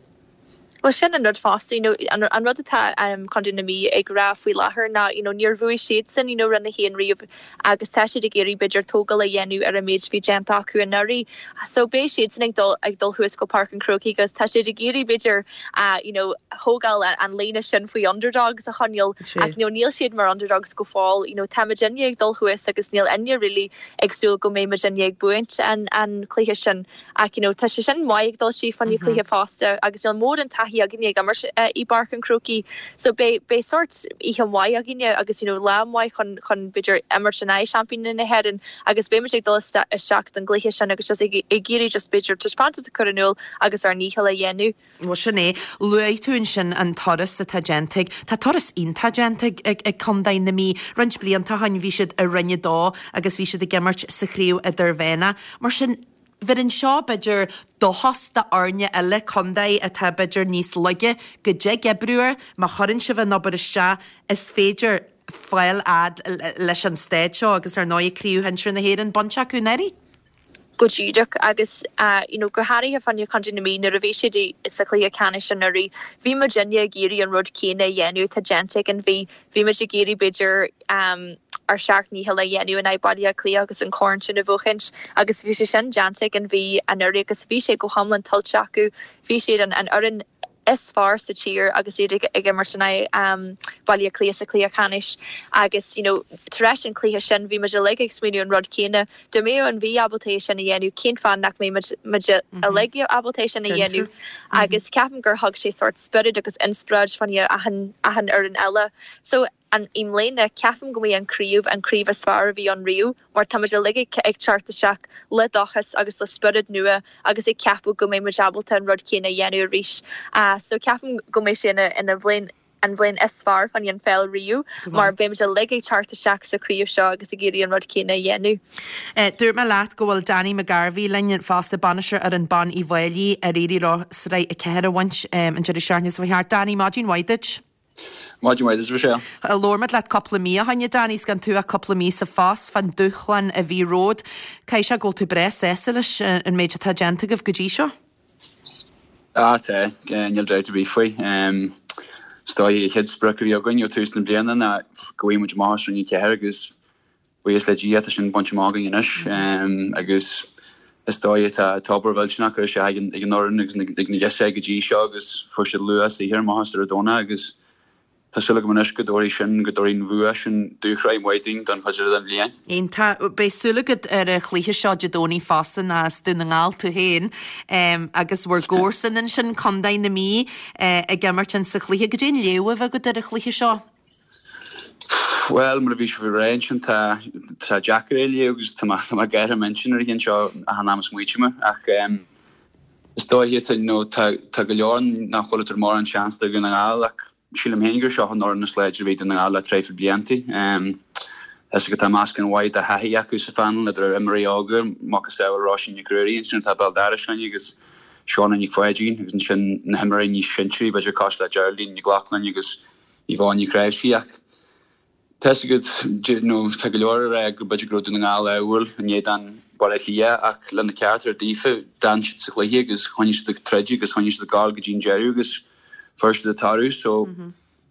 Bhuel sin an rud fosta, you know, an an rud atá um Contae na Mí ag rá faoi láthair ná you know níor bhuaigh siadsan you know Roinn 1 riamh agus tá siad ag iarraidh b'fhéidir tógáil a dhéanamh ar an méid a bhí déanta acu anuraidh. So beidh siadsan ag dul ag dul thuas go Páirc an Chrócaigh agus tá siad ag iarraidh b'fhéidir ah you know thógáil an líne sin faoi underdogs a choinneáil ach you know níl siad mar underdogs go fóill you know tá muidinne ag dul thuas agus níl éinne really ag súil go mbeidh muidinne ag buaint an an cluiche sin ach you know tá sé sin maith ag dul isteach fá choinne cluiche fosta agus níl mórán taithí againne ag imirt i bPáirc an Chrócaigh so beidh beidh sórt oíche mhaith againne agus you know lá maith chun chun b'fhéidir imirt in aghaidh seaimpíní na hÉireann agus beidh muid ag dul isteach don gcluiche sin agus just ag ag iarraidh just b'fhéidir taispeántas a chur in iúl agus ár ndícheall a dhéanamh. Bhuel, sin é. Luaigh tú ansin an turas atá déanta ag, tá turas iontach déanta ag, ag Contae na Mí. Roinnt blianta ó shin bhí siad i Roinn 2 agus bhí siad ag imirt sa chraobh idirmheánach. Mar sin, bheireann seo, b'fhéidir, dóchas d'fhoirne eile, contae atá b'fhéidir níos laige, go dtig oibriú air, má chuireann sibh an obair isteach, is féidir fáil fhad leis an staid seo agus ar ndóigh craobh shinsir na hÉireann bainte acu anuraidh. Go díreach agus you know go háirithe fá choinne Contae na Mí nuair a bhí siad sa chluiche ceannais anuraidh, bhí muidinne ag iarraidh an rud céanna a dhéanamh atá déanta ag an Mhí. Bhí muid ag iarraidh b'fhéidir ár seacht ndícheall a dhéanamh in aghaidh Baile Átha Cliath agus an corn sin a bhuachaint agus bhí sé sin déanta ag an Mhí anuraidh agus bhí sé go hiomlán tuillte acu. Bhí siad an an fhoireann is fearr sa tír agus iad ag imirt in aghaidh Baile Átha Cliath sa chluiche ceannais agus you know tar éis an chluiche sin bhí muid uilig ag smaoineamh an rud céanna, dá mbeadh an Mhí ábalta é sin a dhéanamh cén fáth nach mbeidh muid muid uilig ábalta é sin a dhéanamh agus ceapaim gur thug sé sórt spiorad agus inspioráid fá choinne achan achan fhoireann eile so an i mbliana, ceapaim go mbeidh an craobh an craobh is fearr a bhí ann riamh mar tá muid uilig ag teacht isteach le dóchas agus le spiorad nua agus ag ceapadh go mbeidh muid ábalta an rud céanna a dhéanamh arís. So ceapaim go mbeidh sé ina ina bhliain an bhliain is fearr fá choinne an pheil riamh mar beidh muid uilig ag teacht isteach sa chraobh seo agus ag iarraidh an rud céanna a dhéanamh. Dúirt mé leat go bhfuil Danny McGarvey linn fosta, bainisteoir fhoireann ban Uíbh Fhailí ar éirigh leo Sraith 4 a bhaint an deireadh seachtaine seo thart. Danny, maidin mhaith duit. Maidin mhaith duit, Michelle. Labhair muid leat cúpla mí ó shin, a Danny, 's gan tú ach cúpla mí sa phost, fán dúshlán a bhí romhat. Caithfidh sé go bhfuil tú breá sásta leis an méid atá déanta agaibh go dtí seo? Ah, tá. Níl dabht ar bith faoi. Is dóigh, an chéad sprioc a bhí againn ó tús na bliana ná go bhfaighidh muid amach as Roinn 4 agus Buíochas le Dia tá sin bainte amach againn anois agus is dóigh tá tá obair mhillteanach curtha isteach ag an fhoireann agus ag na girseachaí go dtí seo agus fuair siad luach saothair amach as ar an Domhnach agus tá súil agam anois go dtabharfaidh sin, go dtabharfaidh an bhua sin dúshraith mhaith dúinn don chuid eile den bhliain. Iontach. Beidh súil agat ar an chluiche seo Dé Domhnaigh fosta nó as Dún na nGall tú féin agus bhur gcomharsain ansin, Contae na Mí, ag imirt in sa chluiche. Goidé an léamh a bheidh agat ar an chluiche seo? Bhuel, mar a bhí sibh ag rá ansin, tá sé deacair é a léamh agus tá mé ag gáire m'intinn ar an cheann seo achan am a smaoiním air. Ach is dóiche, you know, tá go leor nach bhfuil ag tabhairt mórán seans do Dhún na nGall ach sílim féin gur seo an fhoireann is láidre a bhí ag Dún na Ngall le traidhfil blianta. Tá 'fhios agat tá meascán mhaith de thaithí acu sa phainéal, idir imreoirí óga, macasamhail Róisín Nic Ruairí ansin atá béal dorais againn agus Shauna Nic Pháidín agus ansin na himreoirí níos sinsearaí, b'fhéidir cosúil le Geraldine Nic Lochlainn agus Yvonne Ní Chnáimhsí ach tá 'fhios agat you know tá go leor ag rá go b'fhéidir go raibh Dún na nGall ádhúil in éadan Baile Átha Cliath ach lena ceart ar daofa d'fhan siad sa chluiche agus choinnigh siad ag troid agus choinnigh siad ag gabháil go dtí an deireadh agus fuair siad an toradh so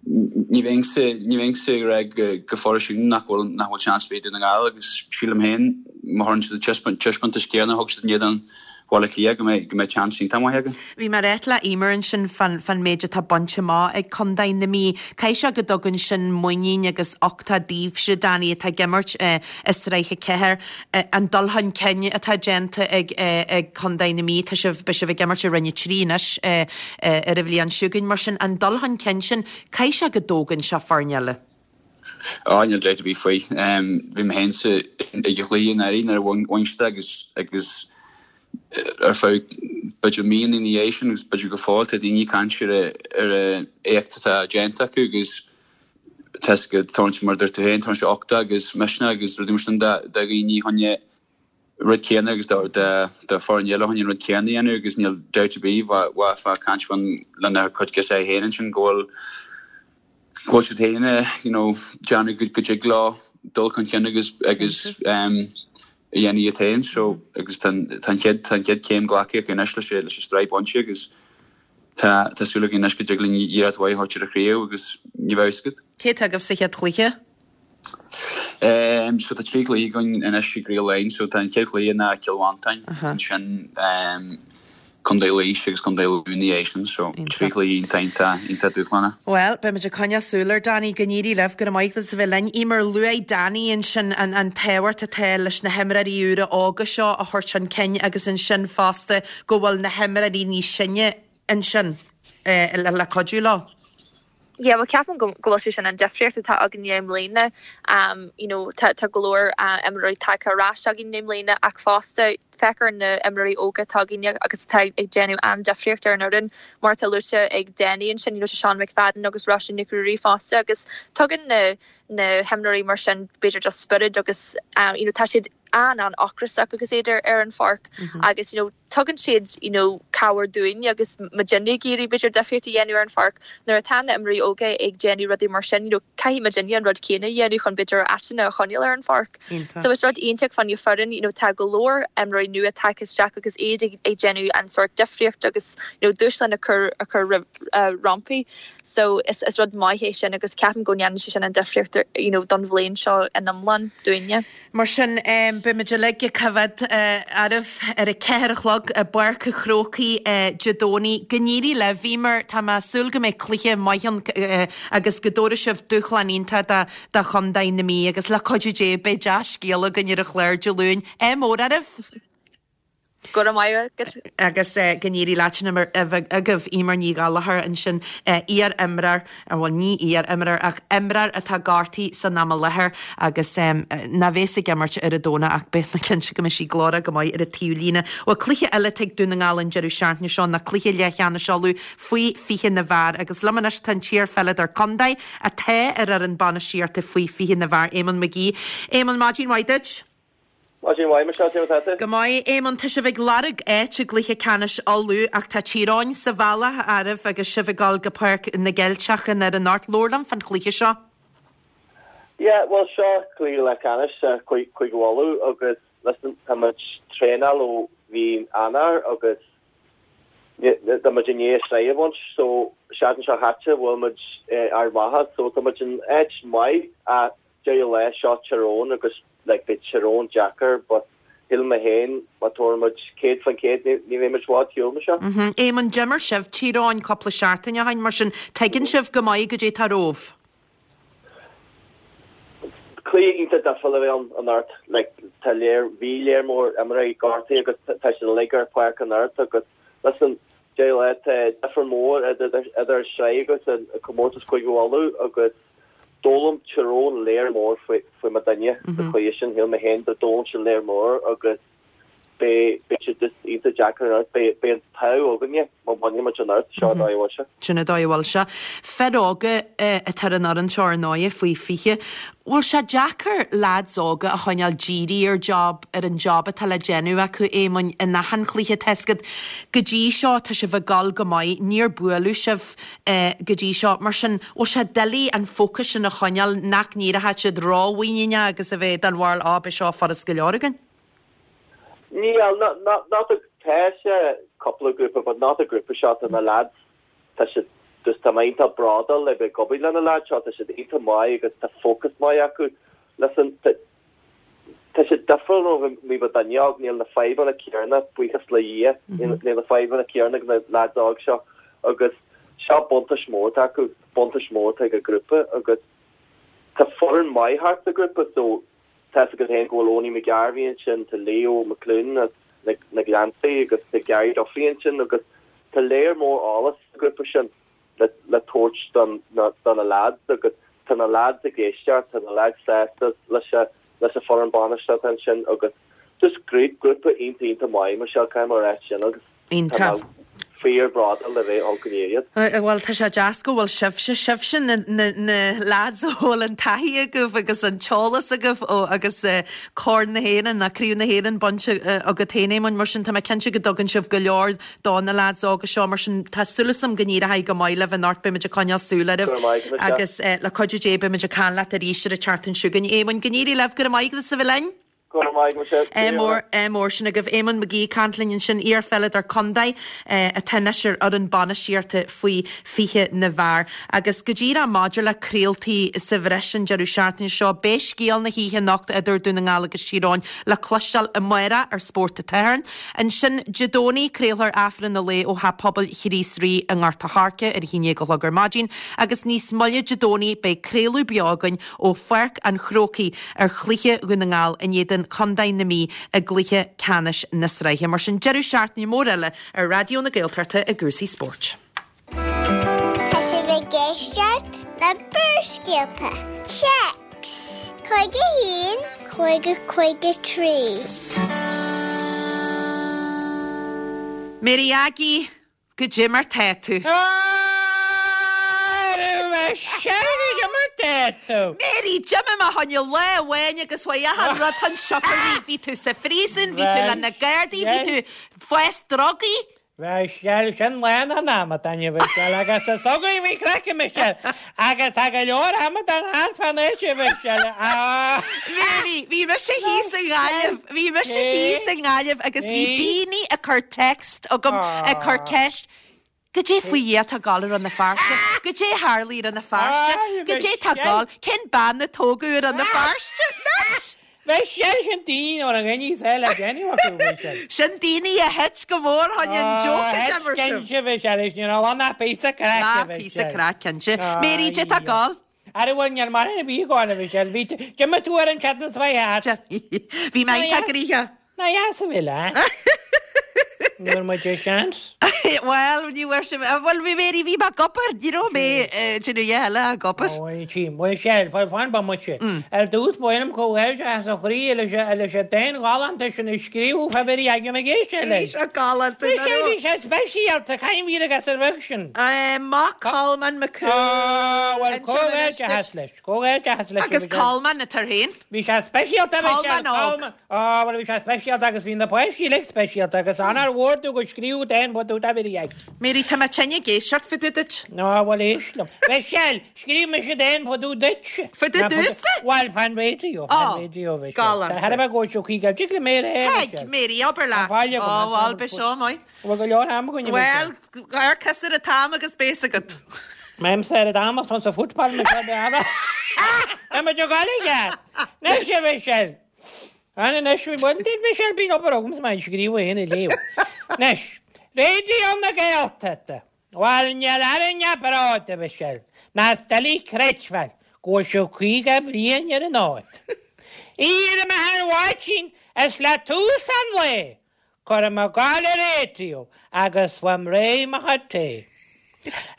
ní bheinnse ní bheinnse ag rá go go fóill nach bhfuil nach bhfuil seans ar bith ag Dún na nGall agus sílim féin má thugann siad an taispeántas céanna a thug siad in éadan Bhaile Átha Cliath go mbeidh go mbeidh seans iontach maith acu. Bhí mé ag ráit le Eimear ansin fán fán méid atá bainte amach ag Contae na Mí. Caithfidh sé go dtugann sin muinín agus uchtach daoibhse, Danny, atá ag imirt i Sraith 4, an dul chun cinn atá déanta ag ag Contae na Mí. Tá sibh, beidh sibh ag imirt i Roinn 3 anois ar an bhliain seo chugainn. Mar sin, an dul chun cinn sin, caithfidh sé go dtógann sé foirne eile. Á, níl dabht ar bith faoi. Bhí mé féin sa ag an chluiche anuraidh nuair a bhain siad agus agus ar feadh b'fhéidir mí ina dhiaidh sin agus b'fhéidir go fóill tá daoine ag caint ar ar an éacht atá déanta acu agus tá 'fhios agat tabharann sé mar a dúirt tú féin tabharann sé uchtach agus misneach agus rudaí mar sin do dhaoine chun an rud céanna agus do foireann eile chun an rud céanna a dhéanamh agus níl dabht ar bith bheifeá ag caint lena cuid girseachaí féin ansin go bhfuil go bhfuil siad féin you know déanamh go dtig leo dul chun cinn agus agus a dhéanamh iad féin so agus tá an chéad tá an chéad chéim glactha acu anois leis leis an tsraith bainte agus tá tá súil againn anois go dtig linn iarracht mhaith a thabhairt ar an chraobh agus ní bheadh a fhios agat. Cé atá agaibh sa chéad chluiche? So tá 3 chluiche againn anois i gCraobh Laighean. So tá an chéad chluiche ná Cill Mhantáin, ansin Contae Laois agus Contae Lú ina dhiaidh sin. So 3 chluiche iontach iontach iontach dúshlánach. Bhuel, beidh muid ag coinneáil súil air, Danny. Go n-éirí libh. Go raibh maith agat as a bheith linn. Eimear, luaigh Danny ansin an an tábhacht atá leis na himreoirí úra óga seo a thabhairt chun cinn agus ansin fosta go bhfuil na himreoirí níos sine ansin le cuidiú leo. Yeah, bhuel ceapaim go go bhfuil sé sin an difríocht atá againne i mbliana. You know, tá tá go leor imreoirí tagtha ar ais againn i mbliana ach fosta féach ar na imreoirí óga atá againne agus atá ag déanamh an-difríocht ar an fhoireann mar atá luaite ag Danny ansin, you know, tá Seán McFadden agus Róisín Nic Ruairí fosta agus tugann na na himreoirí mar sin b'fhéidir just spiorad agus you know tá siad an-an-ocrasach agus iad ar ar an pháirc agus you know tugann siad you know cabhair dúinn agus muidinne ag iarraidh b'fhéidir difríocht a dhéanamh ar an pháirc. Nuair atá na imreoirí óga ag déanamh rudaí mar sin you know caithfidh muidinne an rud céanna a dhéanamh chun b'fhéidir ár áiteanna a choinneáil ar an pháirc. So is rud iontach fá choinne foireann you know tá go leor imreoirí. imreoirí nua tagtha isteach agus iad ag ag déanamh an sórt difríocht agus you know dúshlán a chur a chur rompu. So is is rud maith é sin agus ceapaim go ndéanann sé sin an difríocht you know don bhliain seo in iomlán dúinne. Mar sin, beimid uilig ag coimhéad oraibh ar a ceathair a chlog i bPáirc an Chrócaigh Dé Domhnaigh. Go n-éirí libh, Eimear. Tá mé ag súil go mbeidh cluiche maith ann agus go dtabharfaidh sibh dúshlán iontach do chontae na Mí agus le cuidiú Dé beidh dea-scéala againn ar an chlár Dé Luain. Ádh mór oraibh! Go raibh maith agat. Agus go n-éirí leat sin agaibh, Eimear Ní Ghallchóir ansin, iar-imreoir, bhuel ní iar-imreoir ach imreoir atá gortaithe san am i láthair agus nach bheas ag imirt ar an Domhnach ach beidh mé cinnte go mbeidh sí glórach go maith ar an taobhlíne. Bhuel cluiche eile atá ag Dún na nGall an deireadh seachtaine seo ná cluiche leathcheannais Uladh faoi 20 na bhfear agus liom anois tá an t-iar-pheileadóir contae atá ar fhoireann bainistíochta faoi 20 na bhfear, Éamonn McGee. Éamonn, maidin mhaith duit. Maidin mhaith, Michelle, cén mar atá tú? Go maith, Éamonn. Tá sibh ag lorg áit i gcluiche ceannais Uladh ach tá Tír Eoghain sa bhealach oraibh agus sibh ag dul go Páirc na gCeilteach in anocht. Labhair liom fán chluiche seo. Yeah, bhuel seo cluiche leathcheannais Chúige Uladh agus listen, tá muid traenáil ó mhí Eanáir agus tá muid i ndiaidh sraith a bhaint so seachtain seo chaite bhuail muid Ard Mhacha so tá muid in áit maith ach deireadh lae seo Tír Eoghain agus like beidh Tír Eoghain deacair but shíl mé féin má tabharann muid 100% ní ní bheidh muid i bhfad shiúl Michelle. Mhm. Éamonn, d'imir sibh Tír Eoghain cúpla seachtain ó shin mar sin tuigeann sibh go maith goidé atá romhaibh. Cluiche iontach difriúil a bheidh ann anocht like tá léir bhí léar mór imreoirí gortaithe agus tá siad uilig ar páirc anocht agus listen deireadh lae tá difear mór idir idir an sraith agus an comórtas Cúige Uladh agus D'fhoghlaim Tír Eoghain léar mór faoi mo dhuine sa chluiche sin. Shíl mé féin go d'fhoghlaim siad léar mór agus beidh sé just iontach deacair anocht. Beidh an t-ádh againne má bhainfidh muid anocht. Seo an dóigh a bhfuil sé. Sin an dóigh a bhfuil sé. Fir óga atá ar an fhoireann seo ar ndóigh, faoi 20. Bhfuil sé deacair leaids óga a choinneáil dírithe ar job, ar an job atá le déanamh acu, Éamoinn, in achan chluiche? Tá 'fhios agat, go dtí seo tá sibh ag dul go maith, níor buaileadh sibh. go dtí seo. Mar sin, bhfuil sé doiligh an fócas sin a choinneáil, nach n-éireoidh siad rómhuiníneach agus a bheith den bharúil, á, beidh seo furast go leor againn? Níl, not a, tá sé cúpla grúpa, but not an grúpa seo, tá na lads, tá siad, just tá mé iontach bródúil le bheith ag obair le na lads seo, tá siad iontach maith agus tá fócas maith acu. Listen, tá, Tá sé difriúil ó bhí mo dhuine óg, níl na fadhbanna céarna, buíochas le Dhia, níl na fadhbanna céarna ag na leaids óg seo agus seo buntáiste mór atá acu, buntáiste mór atá ag an grúpa agus tá foireann maith thart sa ghrúpa so tá 'fhios agat féin go bhfuil Owenie McGarvey ansin, tá Leo McLoone as na Gleanntaí agus tá Gary Duffy ansin agus tá léar mór eolas sa ghrúpa sin. le tabhairt do na leaids agus tá na leaids ag éisteacht, tá na leaids sásta leis leis an foireann bainistíochta ansin agus just grúpa iontach iontach maith Michelle, caithfidh mé a rá sin agus tá mé fíor bródúil le bheith ann go n-éirí. Bhuel tá sé deas go bhfuil sibhse, sibhse na na leaids a bhfuil an taithí agaibh agus an t-eolas agaibh ó agus Corn na hÉireann, ná Craobh na hÉireann bainte agat féin Éamoinn, mar sin tá mé cinnte go dtugann sibh go leor do na leaids óga seo. Mar sin, tá súil agam go n-éireoidh go maith libh anocht. Beimid ag coinneáil súil oraibh. Go raibh maith agat, Michelle. Agus le cuidiú Dé, beimid ag caint leat arís ar an tseachtain seo chugainn. Éamoinn, go n-éirí libh. Go raibh maith agat as a bheith linn. Go raibh maith agat, Michelle. Ádh mór, ádh mór sin agaibh. Éamonn McGee ag caint linn ansin, iar-pheileadóir contae atá anois ar fhoireann bainistíochta faoi 20 na bhfear. Agus go díreach maidir le craoltaí sa bhreis an deireadh seachtaine seo, beidh scéal na hoíche anocht idir Dún na nGall agus Tír Eoghain le cloisteáil amárach ar Spórt an tSathairn. Ansin, Dé Domhnaigh, craolfar Aifreann an Lae ó Theach Pobail Chríost Rí i nGort a' Choirce ar a haon déag a chlog ar maidin agus níos moille Dé Domhnaigh beidh craoladh beo againn ó Pháirc an Chrócaigh ar chluiche Dhún na nGall in éadan Chontae na Mí i gcluiche ceannais na sraithe. Mar sin, deireadh seachtaine mór eile ar Raidió na Gaeltachta i gcúrsaí spóirt. Tá sibh ag éisteacht le Barrscéalta. Téacs 51 50 53. Mary Aggie, goidé mar tá tú? Arú Michelle, goidé mar tá tú? Mary, d'imigh mé fá choinne lá amháin agus chuaigh achan rud chun siocair. Bhí tú sa phríosún, bhí tú le na Gardaí, bhí tú fás drugaí. Michelle, sin lán an amadán, a Mhichelle, agus is agaibh bhí craic, a Mhichelle, agus tá go leor amadán thart fán áit, a Mhichelle. Mary. Mary, bhí mise thíos i nGaillimh, bhí mise thíos i nGaillimh agus bhí daoine ag cur text chugam, ag cur ceist, Goidé faoi Dhia atá ag gabháil i Rann na Feirste? Goidé a tharlaigh i Rann na Feirste? Goidé atá ag gabháil? Cén bean a tógadh i Rann na Feirste? Anois! Michelle, sin daoine ó na gcoinní saoil le déanamh acu, Michelle. Sin daoine a thit go mór chun an joke a d'imir sibh. Cinnte, Michelle, is ní raibh ann ach píosa craic, Ná píosa craic, cinnte. Mary, goidé atá ag gabháil? Ara bhuel, níl mórán ar bith ag gabháil, a Mhichelle. Bhí, d'imigh tú ar an tseachtain seo thart. Bhí mé iontach gnoitheach. Ná dheas a bhí leat. Ní bhfuair muid an seans. Bhuel, ní bhfuair sibh, bhuel, bhí Mary, bhí mé ag obair, ní raibh mé ag déanamh a dhath eile ach ag obair. Ó, tchím. Bhuel, sea, fan, fan bomaite. Ar dtús, ba mhaith liom comhghairdeachas ó chroí leis an, leis an dán galánta sin a scríobhadh fá Mhary Aggie Mhic Éiste Bhí sé galánta, Bhí sé, bhí sé speisialta, cén mhír agus ar bheag sin? Mac Colmáin Mac Cumhaill. Á, bhuel, comhghairdeachas leis, comhghairdeachas leis. Agus Colmán atá air féin. Bhí sé speisialta, a Mhichelle, Colmán óg. Colmán, á, bhuel, bhí sé speisialta agus bhí na páistí uilig speisialta agus onóir mhór dó gur scríobhadh dán fá dtaobh de Mhary Aggie. Mary, tá mé tinn ag éisteacht fá dtaobh duit. Á, bhuel, éist liom. Michelle, Scríobh mise dán fá dtaobh duit. Fá dtaobh domhsa? Bhuel, fán raidió, fán raidió, Michelle. Galánta. Tá thar a bheith go dtiocfaidh go dtig le mé a rá, Thig, Mary, abair leat. Tá fáil agam. Ó, bhuel, beidh seo maith. Bhfuil go leor am againn, a Michelle? Bhuel, amharc thusa ar an t-am agus beidh a fhios agat. M'aimsir ar an am ach tá sa football, Michelle, beidh am. Tá muid ag dul i gceart. Anois, a Mhichelle. An anois, bhuel, Michelle, bíonn obair agamsa mar scríobh féin a léamh. Anois, Raidió na Gaeltachta. Bhuel, níl orainn ach bród, a Mhichelle, ná is doiligh creidbheáil go bhfuil sibh 50 bliain ar an fhód. Éirím achan mhaidin is le tús an lae, cuirim ag gabháil an raidió agus faighim réidh mo chuid tae.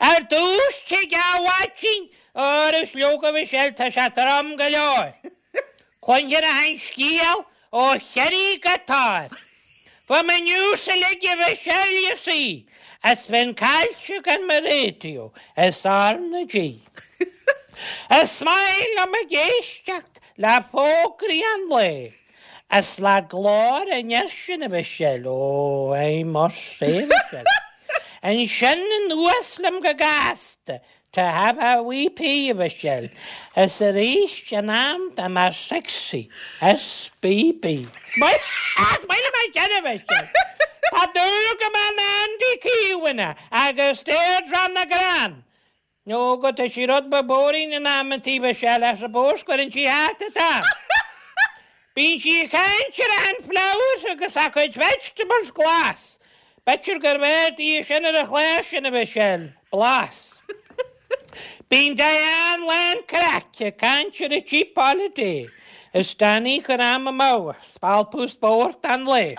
Ar dtús, tig a mhaidin, arú is leoga, a Mhichelle, tá sé trom go leor. Cluinfear achan scéal ó Chiarraí go Toir. Faighim an news uilig a Mhichelle you see is bheinn caillte gan mo raidió is R na G. Is maith liom ag éisteacht le fógraí an lae is le glór an fhir sin a Mhichelle, oh I must say a Mhichelle. Ansin anuas liom go gasta To have a wee pee, a Mhichelle, is arís in am do mo sexy SBB. Is maith liom é sin, a Mhichelle. Tá dúil agam in Andy Kavanagh agus Deirdre McGrath. Nó go tá sí rud beag boring in amantaí, a Mhichelle, I suppose, cuireann sí thart an t-am. Bíonn sí ag caint ar achan flowers agus a cuid vegetables glas. B'fhéidir gurbh fhearr di é sin ar an chlár sin, a Mhichelle. Blas. Bíonn Diane lán craic ag caint ar a cheap holiday is Danny ag cur am amú ag spalpadh spórt an lae.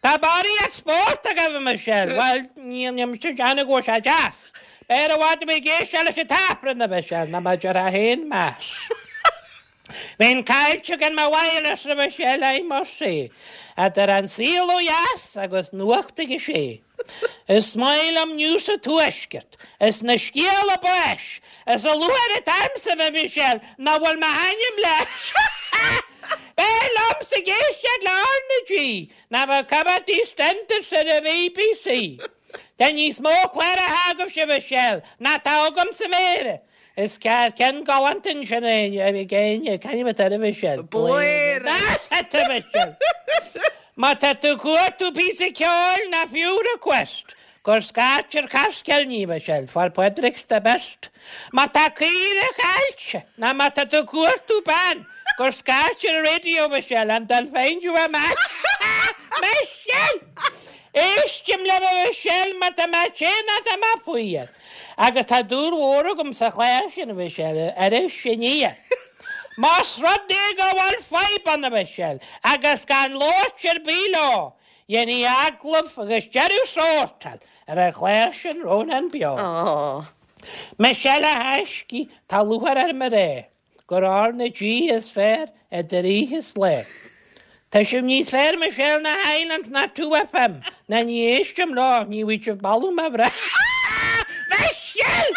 Tá barraíocht spórt agaibh, a Mhichelle. Bhuel, níl mise ag déanamh go bhfuil sé deas. B'fhearr i bhfad a bheith ag éisteacht leis an t-Aifreann, a Mhichelle, ná mar a déarfá féin, Mass. Bheinn caillte gan mo wireless a Mhichelle, I must say, idir an saol ó dheas agus nuacht ag a sé. Is maith liom news an tuaiscirt, is na scéala báis, is a lúcháir atá ormsa, a Mhichelle, nach bhfuil m'ainm leis! B'fhearr liomsa ag éisteacht le R na G ná bheith ag coimeád EastEnders ar an BBC. Tá níos mó cláracha agaibhse, a Mhichelle, ná tá agam sa Méara. Is ceart ceann galánta ansin ag éinne, c'ainm atá air a Mhichelle? Blair! That's it a Mhichelle! Má tá tú ag cuartú píosa ceoil ná fiú request, gur scairt ar Caskelny a Mhichelle, for Padraig's the best. Má tá caoire caillte ná má tá tú ag cuartú bean, gur scairt ar an radio a Mhichelle and they'll find you a man. Michelle! Éistim libh a Mhichelle má tá mé te ná tá mé fuar. Agus tá dúil mhór agam sa chlár sin, a Mhichelle, Iris Aniar. Más rud é go bhfuil fadhb ann, a Mhichelle, agus gan labhairt ar bith leo, dhéanfaí agallamh agus deireadh sórtáil ar an chlár sin Rónán Beo. Michelle, a thaiscidh, tá lúcháir orm a rá gur R na G is fearr idir oíche is lá. Tá sibh níos fearr Michelle ná Highland ná 2FM ná ní éistim leo, ní bhfaighidh sibh boladh mo bhreith. Michelle!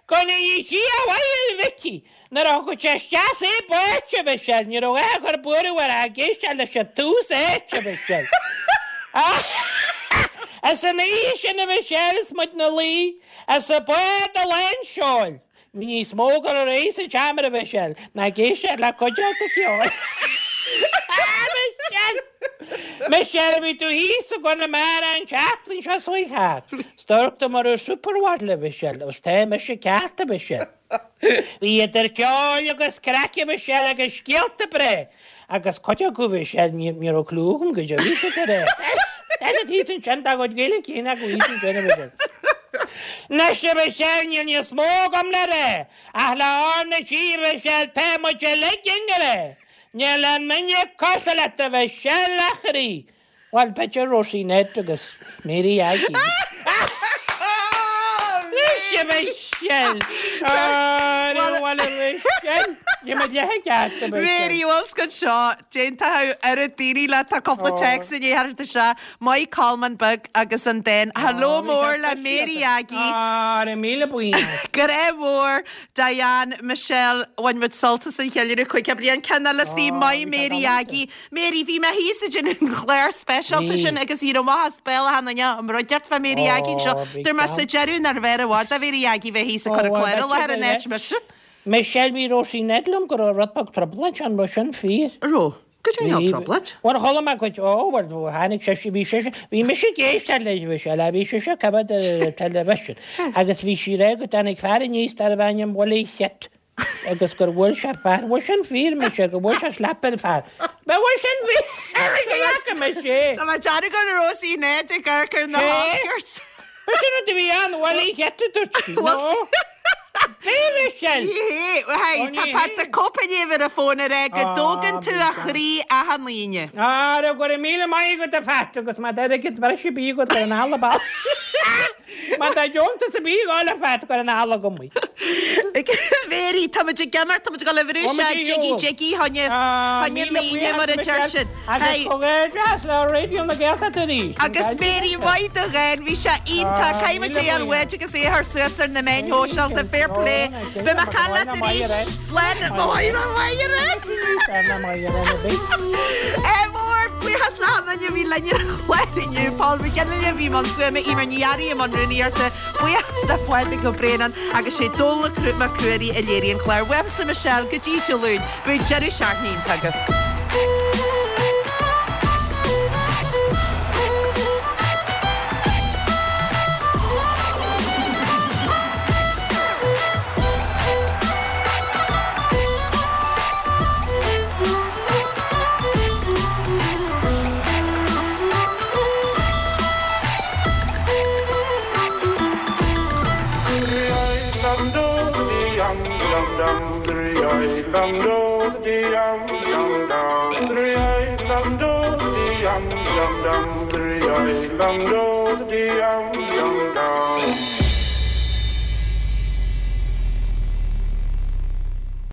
Go ndéana Dia a mhaith ar Mhicí nuair a thugadh sé isteach é báite, a Mhichelle, ní raibh aon chur buaireamh air ach ag éisteacht leis an tús áite, a Mhichelle. Is an oíche sin, a Mhichelle, is muid 'na luí, is an bád i lán seoil. Bhí níos mó ag dul ar aghaidh sa tseomra, a Mhichelle, ná ag éisteacht le cuideachta ceoil. A Mhichelle! Michelle, bhí tú thíos i gConamara an tseachtain seo chuaigh thart. 'S dúirt tú mar raibh supermodel, a Mhichelle, agus tá mise ceart, a Mhichelle. Bhí idir ceol agus craic, a Mhichelle, agus scéalta breá. Agus cuid acu Mhichelle, ní raibh clue agam goidé a bhí siad a rá. Tá siad thíos ansin, dá gcuid Gaeilge céanna acu thíos ansin, a Mhichelle. Anois, a Mhichelle, níl níos mó agam le rá, ach le R na G, a Mhichelle, tá muid uilig i ngrá. Níl aon duine cosúil leat, a Mhichelle, a chroí. Bhuel, b'fhéidir Rosie Ned agus Mary Aggie. Anois, a Mhichelle! Ara, bhuel, a Mhichelle! Bhí muid leath i gceart, a Mhichelle. Mary, bhfuil 's agat seo, déanta oiread daoine leat, tá cúpla téacs i ndiaidh theacht isteach. Maith Colmán Beag agus an dán Hello mór le Mary Aggie. Ara, míle buíochas. Grá mór, Diane, Michelle, bhain muid sult as an cheiliúradh 50 bliain. Ceann eile istigh, maith Mary Aggie. Mary, bhí mé thíos ag déanamh an chlár speisialta sin agus ní raibh maith as béal achan duine an mbruideacht fá Mary Aggie anseo. Dúirt mé sa deireadh nárbh fhearr i bhfad do Mhary Aggie bheith thíos ag cur an clár i láthair in áit mise. Michelle, bhí Róisín Ned liom go raibh rud beag trioblóid ann, raibh sin fíor? Raibh. Goidé an trioblóid? Bhuel, chuala mé cuid, ó, bhuel, tháinig sise, bhí sise, bhí mise ag éisteacht léi, Michelle, bhí sise ag coimhéad ar an television agus bhí sí ag rá go dtáinig fear aníos darbh ainm Willie Hitt. agus gur bhuail sé fear. Bhfuil sin fíor, Michelle, gur bhuail sé slap ar fear? Bhfuil sin fíor? Go bhfaca mise é. Tá mé ag déanamh go raibh Róisín Ned ag amharc ar na hOscars. Ba sin rud a bhí ann, Willie Hitt a dúirt sí. No. Bhí, Michelle. Ní hé. Hey, tá Pat the Cope i ndiaidh a bheith ar an fón ag rá go dtógann tú a chroí achan Aoine. Ara, go raibh míle maith agat a Phat agus má tá airgead breise ar bith agat cuir anall an bealach. Má tá deontas ar bith ag gabháil a Phat cuir anall chugam é. Mary, tá muid ag imeacht, tá muid ag dul a bhrú isteach jiggy jiggy choinne choinne na hAoine mar a deir siad. Agus Hey. comhghairdeas le Raidió na Gaeltachta arís. Agus Mary, maith do dhán, bhí sé iontach, caithfidh muid é a fháil uait agus é a chur suas ar na meáin shóisialta, fair play. Beidh mé ag caint leat arís, slán, maith Ádh mór, buíochas le achan duine a bhí linn ar an chlár inniu, Paul McGinley a bhí i mbun fuaime, Eimear Ní Fhearraigh i mbun rúnaíochta, buíochas le Pádraig Ó Braonáin agus sé Dónal Mac Ruairí a léirigh an clár. Uaimse Michelle, go dtí Dé Luain, bíodh deireadh seachtaine iontach agaibh.